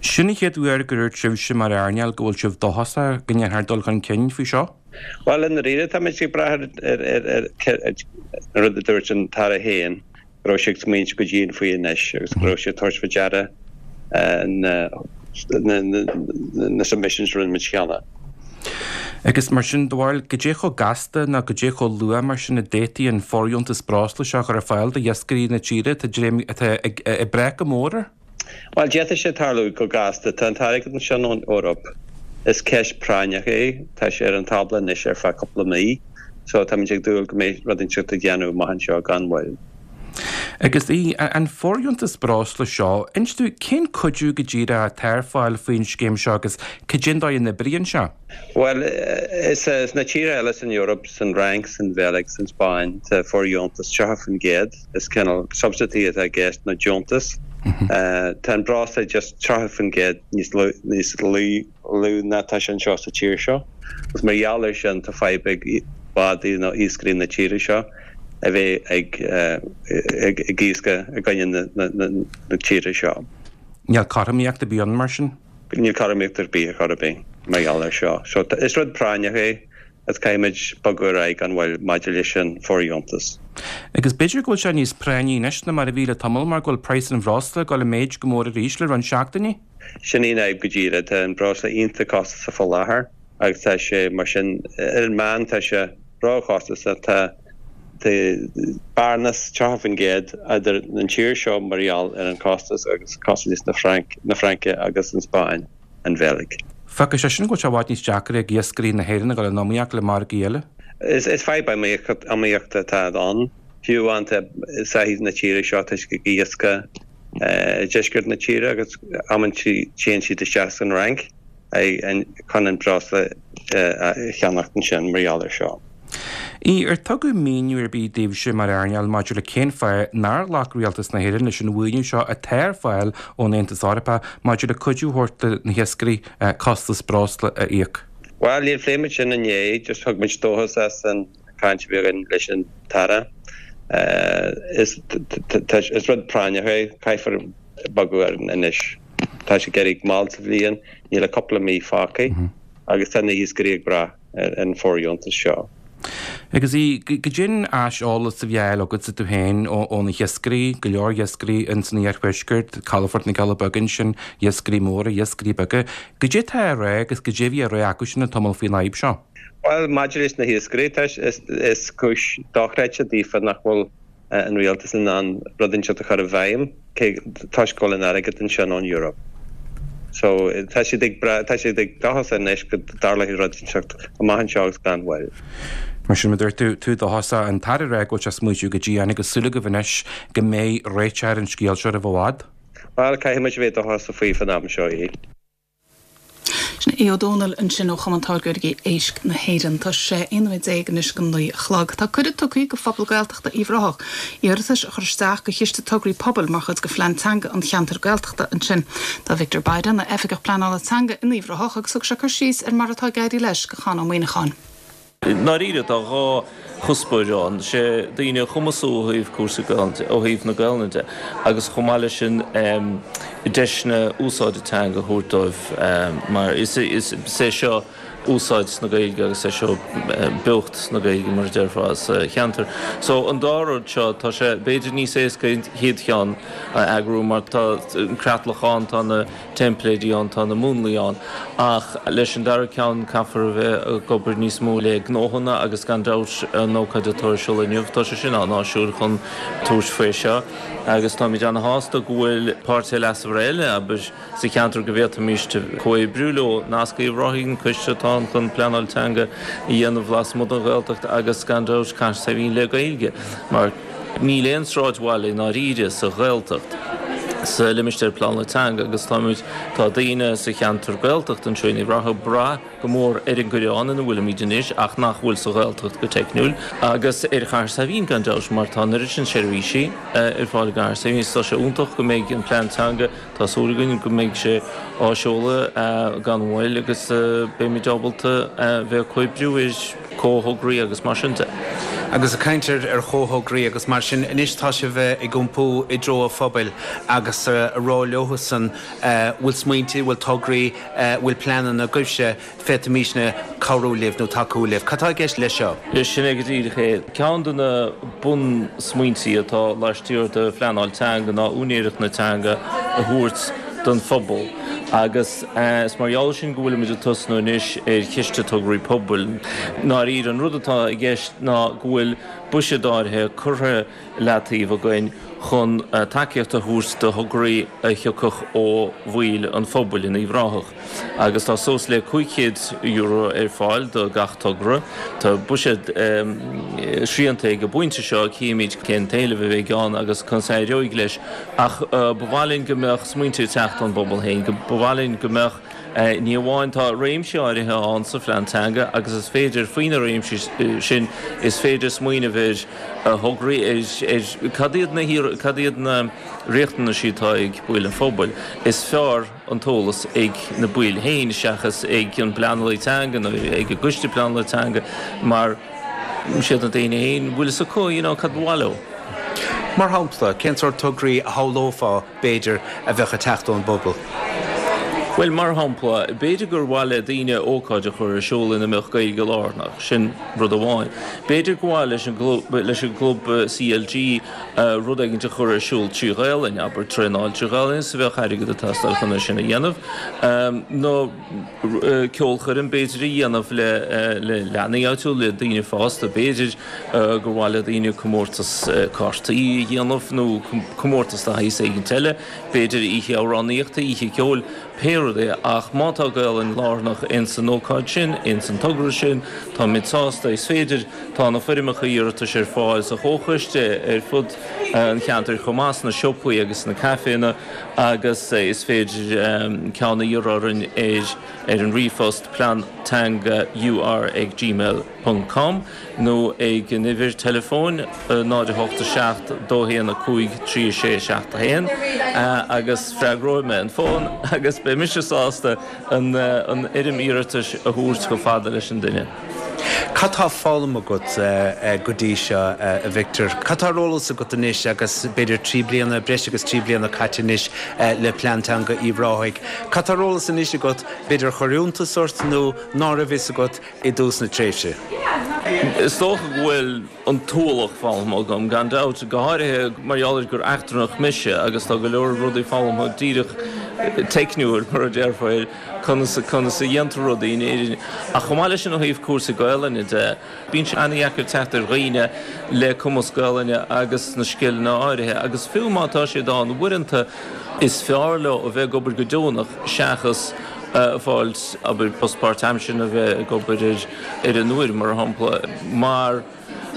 Sin an chéad uair gur dhúirt sibhse mar earnáil go bhfuil sibh dóchasach go ndéanfar dul chun cinn faoi seo. Bhuel, i ndáiríre, táimid ag brath ar an rud a dúirt an tAire féin, go raibh sé ag smaointiú go dian faoi anois agus go raibh sé ag tabhairt faoi deara na submissions a rinne muid cheana. Agus mar sin, do bharúil, goidé chomh gasta nó goidé chomh luath mar sin a d'fhéadfaí an fóirdheontas breosla seo a chur ar fáil do iascairí na tíre atá dréim atá ag ag brath go mór air? Bhuel, d'fhéadfadh sé tarlú go gasta. Tá an t-airgead ansin ón Eoraip. Is ceist práinneach é. Tá sé ar an tábla anois ar feadh cúpla mí. So táimid ag dúil go mbeidh rud inteacht á dhéanamh amach anseo gan mhoill. Agus í, an fóirdheontas breosla seo, inis dúinn cén cuidiú go díreach atá ar fáil faoin scéim seo agus cad é an dóigh a n-oibríonn sé? Bhuel, is sna tíortha eile san Eoraip, san Fhrainc, san Bheilg, san Spáinn, tá fóirdheontas 30%, is cineál subsidy atá i gceist nó deontas. Tá an breosla just 30% níos níos lú lú ná tá sé anseo sa tír seo agus mar gheall air sin tá fadhb ag bádaí nó iascairí na tíre seo. a bheith ag iascach i gcoinne na tíre seo. Níl cothromaíocht ar bith ann mar sin? Níl cothromaíocht ar bith ar chor ar bith mar gheall air seo. So is rud práinneach é agus caithfimid bogadh ar aghaidh gan mhoill maidir leis an bhfóirdheontas. Agus b'fhéidir go bhfuil sé níos práinní anois ná mar a bhí le tamall mar go bhfuil praghas an bhreosla ag dul i méid go mór arís le roinnt seachtainí? Sin í an fhadhb go díreach. Tá an breosla iontach costasach faoi láthair agus tá sé mar sin ar an meán tá sé róchostasach. Tá bearnas 30% idir an tír seo mar gheall ar an chostas agus costas na Fraince agus an Spáinn, an Bheilg. Fágfaidh sé sin go bhfuil sé i bhfad níos deacra ag iascairí na hÉireann a dhul in iomaíocht le margaí eile. Is fadhb iomaíochta atá ann. Fiú amháin tá soithí na tíre seo tá siad ag iascach i deisceart na tíre agus amantaí téann siad isteach san Fhrainc. chun an breosla a cheannacht ansin mar gheall air seo. ii, Ar tugadh míniú ar bith daoibhse mar earnáil maidir le cén fáth nár ghlac Rialtas na hÉireann leis an mhaoiniú seo atá ar fáil ón Aontas Eorpach maidir le cuidiú a thabhairt do na hiascairí costas breosla a íoc? Bhuel, níor phléigh muid sin inné, just thug muid dóchas as an chaint a bhí againn leis an tAire. Is rud práinneach é, caithfear bogadh air anois. Tá sé ag éirí mall sa bhliain, níl ach cúpla mí fágtha agus tá na hiascairí ag brath ar an bhfóirdheontas seo. Agus goidé an t-aiseolas a bhí á fháil agatsa tú féin ó na hiascairí, go leor iascairí ins an iarthuaisceart, calafort na gCealla Beaga ansin, iascairí móra, iascairí beaga. Goidé atá á rá agus goidé a bhí á rá acusan le tamall faoin fhadhb seo? Bhuel, maidir leis na hiascairí, tá, is cúis dochreidte daofa nach bhfuil an rialtas in ann rud inteacht a chur i bhfeidhm cé toisc go bhfuil an airgead ansin ón Europe. So tá siad ag brath, tá siad ag dóchasach anois go dtarlóidh rud inteacht amach anseo agus gan mhoill. Mar sin, mar a dúirt tú, tú dóchasach, an tAire ag rá go bhfuil sé ag smaoitiú go dian agus súil agaibh anois go mbeidh réiteach ar an scéal seo roimh i bhfad. Bhuel, caithfidh muid a bheith dóchasach faoi fán am seo, aye. Sin Aodh Ó Dónaill ansin ó Chumann Táirgeoirí Éisc na hÉireann. Tá sé 11 nóiméad anois go 9 a chlog. Tá cuireadh tugtha go phobal Gaeltachta Uíbh Ráthach iarratais a chur isteach go Chiste Tograí Pobail mar chuid de Phlean Teanga an Cheantair Gaeltachta ansin. Tá Victor Bayda ina Oifigeach Pleanála Teanga in Uíbh Ráthach agus thug sé cur síos ar mar atá ag éirí leis go Conn Ó Muíneacháin. I ndáiríre, tá dhá chuspóir ann, sé daoine a chumasú ó thaobh cúrsaí Gaelainne de, ó thaobh na Gaelainne de, agus chomh maith leis sin deiseanna úsáide teanga a thabhairt dóibh mar is é seo úsáid na Gaeilge agus é seo beocht na Gaeilge mar a déarfá sa cheantar. So an dá rud seo, tá sé b'fhéidir níos éasca an chéad cheann a eagrú mar tá an creatlach ann, tá na. teimpléidí ann, tá na múnlaí ann, ach leis an dara ceann caithfear a bheith ag obair níos mó le gnóthanna agus gan dabht an ócáid atá ar siúl inniu, tá sé sin an-áisiúil chun tabhairt faoi seo agus táimid ana-shásta go bhfuil páirtithe leasmhara eile, abair, sa cheantar go bhféadfaimis comhoibriú leo, Nasc Uíbh Ráthaigh, an coiste atá ann chun pleanáil teanga a dhéanamh lasmuigh den Ghaeltacht agus gan dabht Cathair Saidhbhín le Gaeilge mar. Níl aon sráidbhaile i ndáiríre sa Ghaeltacht sa limistéar pleanála teanga agus táimid, tá daoine sa cheantar Gaeltachta anseo in Uíbh Ráthaigh ag brath go mór ar an gCoireán ina bhfuilimid anois ach nach bhfuil sa Ghaeltacht go teicniúil agus ar Chathair Saidhbhín gan dabht mar tá an oiread sin seirbhísí ar fáil i gCathair Saidhbhín is tá sé iontach go mbeidh an plean teanga Tá súil againn go mbeidh sé á seoladh gan mhoill agus beimid ábalta bheith ag comhoibriú ar comhthograí agus mar sin de. Agus ag caint ar chomhthograí agus mar sin, anois tá sibh ag iompú i dtreo an phobail agus a rá leothusan bhfuil smaointe, bhfuil tograí, bhfuil pleananna agaibhse, féadfaimísne cabhrú libh nó tacú libh. Cad tá i gceist leis seo? Sin é go díreach é. Ceann de na bunsmaointí atá laistiar de phleanáil teanga ná úinéireacht na teanga a thabhairt don phobal agus is mar gheall sin go bhfuilimid ag tosnú anois ar Chiste Tograí Pobail. I ndáiríre, an rud atá i gceist ná go bhfuil buiséad áirithe curtha i leataobh againn chun tacaíocht a thabhairt do thograí a thiocfadh ó bhaill an phobail in Uíbh Ráthach agus tá suas le €500 ar fáil do gach togra. Tá buiséad srianta ag an bpointe seo, cífimid cén t-éileamh a bheidh ann agus conas a éireoidh leis ach ba mhaith linn go mbeadh smaointe ag teacht ón bpobal féin, ba mhaith linn go mbeadh Ní amháin, tá réimsí áirithe ann sa phlean teanga agus is féidir, faoi na réimsí sin, is féidir smaoineamh ar thograí, ar cad iad na, cad iad na riachtanaisí atá ag baill an phobail. Is fearr an t-eolas ag na baill féin seachas ag an bpleanálaí teanga nó ag an gcoiste pleanála teanga mar siad na daoine féin a bhfuil fhios acu, you know, cad ba mhaith leo. Mar shampla, cén sórt tograí a shamhlófá b'fhéidir, a bheadh ag teacht ón bpobal? Bhuel, mar shampla, b'fhéidir gur mhaith le daoine ócáid a chur ar siúl ina mbeadh Gaeilge lárnach, sin rud amháin. B'fhéidir gur mhaith leis an leis an gclub CLG rud éigin a chur ar siúl trí Ghaelainn, abair, traenáil trí Ghaelainn, is bheadh airgead ag teastáil chun é sin a dhéanamh. Nó ceolchoirm, b'fhéidir, a dhéanamh le le leanaí áitiúil, le daoine fásta, b'fhéidir. gur mhaith le daoine comórtas cártaí a dhéanamh nó comórtas de shaghas éigint eile, b'fhéidir oíche amhránaíochta, oíche ceoil, pé rud é, ach má tá Gaolainn lárnach ins an ócáid sin, ins an togra sin, táimid sásta. Is féidir, tá na foirmeacha iarratais ar fáil sa Chomhchoiste, ar fud an cheantair chomh maith, sna siopaí agus sna caiféanna agus is féidir ceann a iarraidh orainn ar ar an ríomhphost pleanteanga ur ag gmail ponc com nó ag an uimhir teileafóin 0 8 7 2 1 5 3 6 7 1 agus freagróidh mé an fón agus beidh mise sásta an fhoirm iarratais a thabhairt chomh fada leis an duine. Cad tá foghlamtha agat go dtí seo, a Victor? Cad tá ar eolas agat anois agus b'fhéidir trí bliana, breis agus trí bliana caite anois le Plean Teanga Uíbh Ráthaigh? Cad tá ar eolas anois agat, b'fhéidir a chuir iontas ort nó ná raibh fhios agat i dtús na tréimhse. Is dócha go bhfuil an t-ualach foghlamtha agam, gan dabht, go háirithe mar gheall ar gur eachtrannach mise agus tá go leor rudaí foghlamtha díreach teicniúil, mar a déarfá, ar conas conas a dhéantar rudaí in Éirinn. Ach chomh maith leis sin ó thaobh cúrsaí Gaelainne de, bíonn sé an-dheacair teacht ar dhaoine le cumas Gaelainne agus na scileanna áirithe agus fiú má tá siad ann, uaireanta is fearr leo a bheith ag obair go deonach seachas fáilt, abair, post páirtaimseartha nó a bheith ag obair ar an uair, mar shampla, mar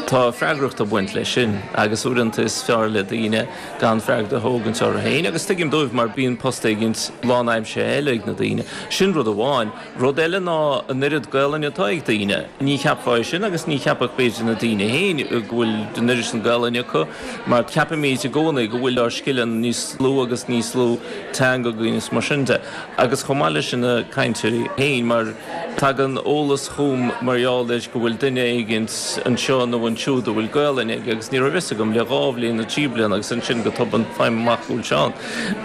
tá freagracht ag baint leis sin agus uaireanta is fearr le daoine gan freagracht a thógaint orthu féin agus tuigim dóibh mar bíonn post éigint lánaimseartha eile ag na daoine. Sin rud amháin. Rud eile ná an oiread Gaelainne atá ag daoine. Ní cheapfá é sin agus ní cheapfadh b'fhéidir na daoine féin go bhfuil an oiread sin Gaelainne acu mar ceapaimid i gcónaí go bhfuil ár scileanna níos lú agus níos lú teanga againn is mar sin de. Agus chomh maith leis sin na cainteoirí féin mar tagann eolas chugam mar gheall ar go bhfuil duine éigin anseo nó ansiúd a bhfuil Gaelainn aige agus ní raibh fhios agam le dhá bhliain nó trí bliana agus ansin go tobann faighim amach go bhfuil sé ann.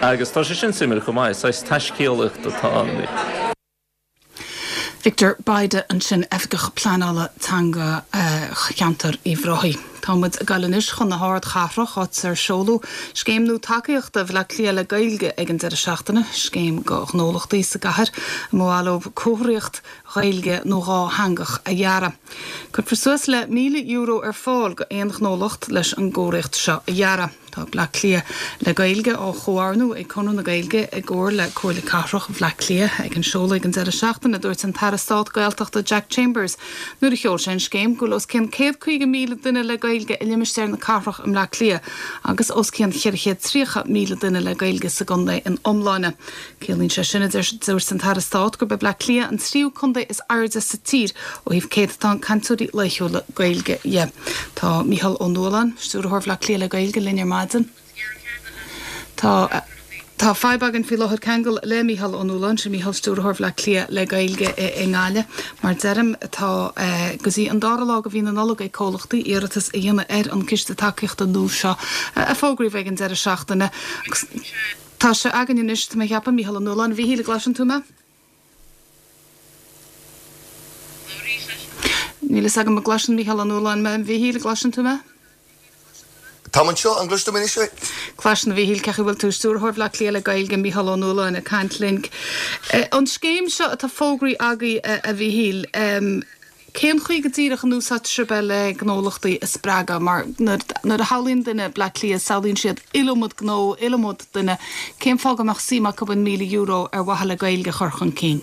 Agus tá sé sin suimiúil chomh maith, saghas taiscéalaíocht atá ann. Victor Bayda ansin, Oifigeach Pleanála Teanga Cheantar Uíbh Ráthaigh. Tá muid ag dul anois chun na hardchathrach, áit ar seoladh scéim nua tacaíochta Bhaile Átha Cliath le Gaeilge ag an deireadh seachtaine, scéim do ghnólachtaí sa gcathair a mba mhaith leo comharthaíocht Ghaeilge nó dhátheangach a dhearadh. Cuirfear suas le €1,000 ar fáil do aon ghnólacht leis an gcomharthaíocht seo a dhearadh. Tá Bleá Cliath le Gaeilge á chomhordú ag Conradh na Gaeilge i gcomhar le Comhairle Cathrach Bhleá Cliath. Ag an seoladh ag an deireadh seachtaine, dúirt an tAire Stáit Gaeltachta Jack Chambers nuair a sheol sé an scéim go bhfuil os cionn 150,000 duine le Gaeilge i limistéar na cathrach i mBleá Cliath agus os cionn 430,000 duine le Gaeilge sa gcontae ina iomláine. Ciallaíonn sé sin, a dúirt an tAire Stáit, gurb é Bleá Cliath an tríú contae is airde sa tír ó thaobh céatatán cainteoirí laethúla Gaeilge dhe. Tá Mícheál Ó Nualláin, Stiúrthóir Bhaile Átha Cliath le Gaeilge, linn ar maidin. Tá Tá fadhb againn faoi láthair ceangal le Mícheál Ó Nualláin, sin Mícheál, Stiúrthóir Bhaile Átha Cliath le Gaeilge i nGaillimh. Mar deirim, tá go dtí an dara lá de mhí na Nollag ag comhlachtaí iarratas a dhéanamh ar an gciste tacaíochta nua seo a fógraíodh ag an deireadh seachtaine. Tá sé againn anois, tá mé a cheapadh, Mícheál Ó Nualláin. A Mhíchíl, an gcloiseann tú mé? Níl fhios agam an gcloiseann Mícheál Ó Nualláin mé. A Mhíchíl, an gcloiseann tú mé? Táim anseo, an gcloiseann tú mé anois? Cloisim, a Mhíchíl, cén chaoi a bhfuil tú? Stiúrthóir Bhaile Átha Cliath le Gaeilge, Mícheál Ó Nualláin ag caint linn. An scéim seo atá fógraithe agaibh, a Mhíchíl, Cén chaoi go díreach an úsáidfidh sibh é le gnólachtaí a spreagadh? Mar nuair a shamhlaíonn duine Bleá Cliath, samhlaíonn siad iliomad gnó, iliomad duine. Cén fáth go mbeadh suim acu in €1,000 ar mhaithe le Gaeilge a chur chun cinn?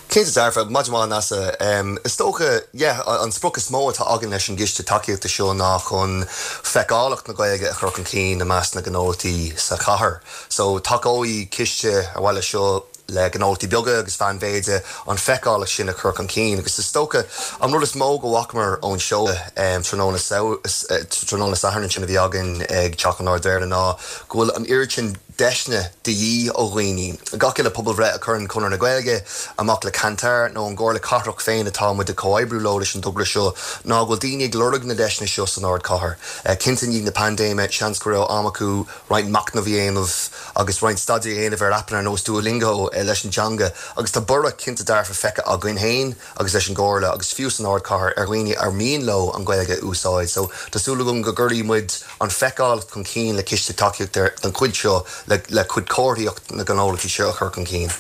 Cinnte dearfa. Maidin mhaith, Neasa. Is dócha, yeah, an sprioc is mó atá againn leis an gciste tacaíochta seo ná chun feiceálacht na Gaeilge a chur chun cinn i measc na ngnólachtaí sa chathair. So, tacóidh ciste ar mhaith leis seo le gnólachtaí beaga agus mheánmhéide an feiceálacht sin a chur chun cinn agus is dócha an rud is mó go bhfacamar ón seoladh tráthnóna tráthnóna Sathairn ansin a bhí againn ag Teach an Ard-Mhéara ná go bhfuil an oiread sin deiseanna de dhíth ó dhaoine. Gach uile pobalbhreith a chuireann Conradh na Gaeilge amach le Kantar nó an gComhairle Cathrach féin atá muid ag comhoibriú leo leis an dtogra seo ná go bhfuil daoine ag lorg na deiseanna seo san ardchathair. Cinnte i ndiaidh na paindéime seans go raibh am acu roinnt machnaimh a dhéanamh agus roinnt staidéir a dhéanamh ar aipeanna ar nós Duolingo leis an teanga agus tá borradh cinnte dearfa feicthe againn féin agus leis an gComhairle agus fiú san ardchathair ar dhaoine ar mian leo an Ghaeilge a úsáid so tá súil agam go gcuirfidh muid an feiceálacht chun cinn le ciste tacaíochta den chuid seo le cuid comharthaíocht na ngnólachtaí seo a chur chun cinn.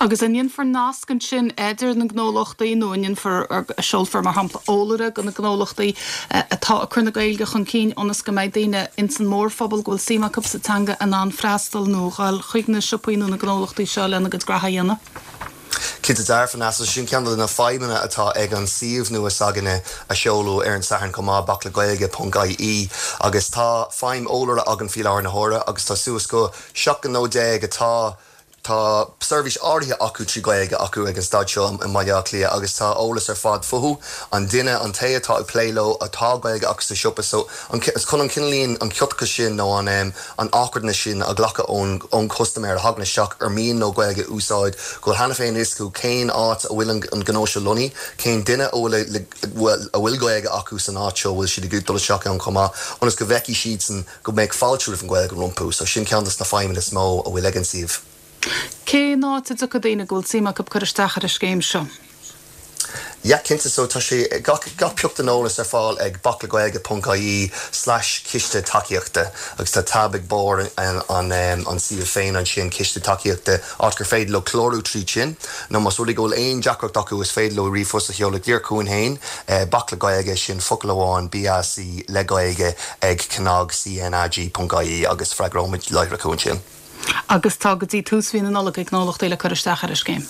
Agus an ndéanfar nasc ansin idir na gnólachtaí nó an ndéanfar, seolfar mar shampla eolaire go na gnólachtaí atá ag cur na Gaeilge chun cinn ionas go mbeidh daoine ins an mórphobal go bhfuil suim acu sa teanga in ann freastal nó dhul chuig na siopaí nó na gnólachtaí seo lena gcuid graithe a dhéanamh? Cinnte dearfa, Neasa, sin ceann de na feidhmeanna atá ag an suíomh nua s'againne a seoladh ar an Satharn chomh maith, baclegaeilge ponc ie, agus tá feidhm eolaire againn faoi láthair na huaire agus tá suas go 17 gnó atá Tá seirbhís áirithe acu trí Ghaeilge acu ag an staid seo i mBaile Átha Cliath agus tá eolas ar fad fúthu, an duine, an té atá ag plé leo, atá Gaeilge acu sa siopa. So, an, is chun an cineáilín, an ciotachas sin nó an, an awkwardness sin a ghlacadh ón, ón chustaiméir a thagann isteach ar mian leo Gaeilge a úsáid, go bhfuil cheana féin fhios acu cén áit a bhfuil an, an gnó seo lonnaithe, cén duine a bhfuil, a bhfuil Gaeilge acu san áit seo, a bhfuil siad ag dul isteach ann chomh maith, ionas go bhfeicfidh siadsan go mbeidh fáilte roimh an Ghaeilge rompu. So sin ceann des na feidhmeanna is mó a bhfuil ag an suíomh. Cén áit a dtiocfaidh daoine go bhfuil suim acu cur isteach ar an scéim seo? Yeah, cinnte. So tá sé, gach, gach pioc den eolas ar fáil ag baclegaeilge ponc ie slash ciste tacaíochta agus tá tab ag barr an, an, an suíomh féin ansin, ciste tacaíochta, áit gur féidir leo clárú tríd sin nó más rud é go bhfuil aon deacracht acu is féidir leo ríomhphost a sheoladh díreach chugainn féin, Bac le Gaeilge, sin focal amháin, BAC le Gaeilge ag cnag, CNAG ponc ie agus freagróimid láithreach thú ansin. Agus tá go dtí tús mhí na Nollag ag gnólachtaí le cur isteach ar an scéim.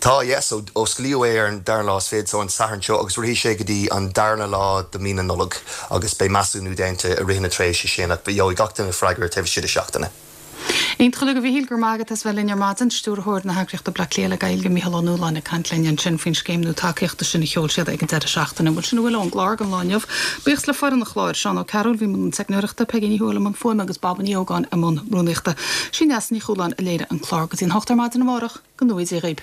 Tá, yeah, so osclaíodh é ar an dara lá is fichead, so an Satharn seo, agus rithfidh sé go dtí an darna lá de mí na Nollag agus beidh measúnú déanta i rith na tréimhse sin ach gheobhaidh gach duine freagra taobh istigh de seachtaine. Iontach uilig, a Mhichíl, go raibh maith agat as bheith linn ar maidin. Stiúrthóir na heagraíochta Bleá Cliath le Gaeilge, Mícheál Ó Nualláin ag caint linn ansin faoin scéim nua tacaíochta sin a sheol siad ag an deireadh seachtaine. Bhuel, sin a bhfuil ón gclár don lá inniu. Buíochas le foireann an chláir, Seán Ó Cearúil a bhí i mbun na teicneoireachta, Peigí Ní Thuathail i mbun fuaime agus Baba Ní Ógáin i mbun rúnaíochta. Sí Neasa Ní Chualáin a léirigh an clár. Go dtí an hocht ar maidin amárach, go ngnóthaí Dia dhaoib.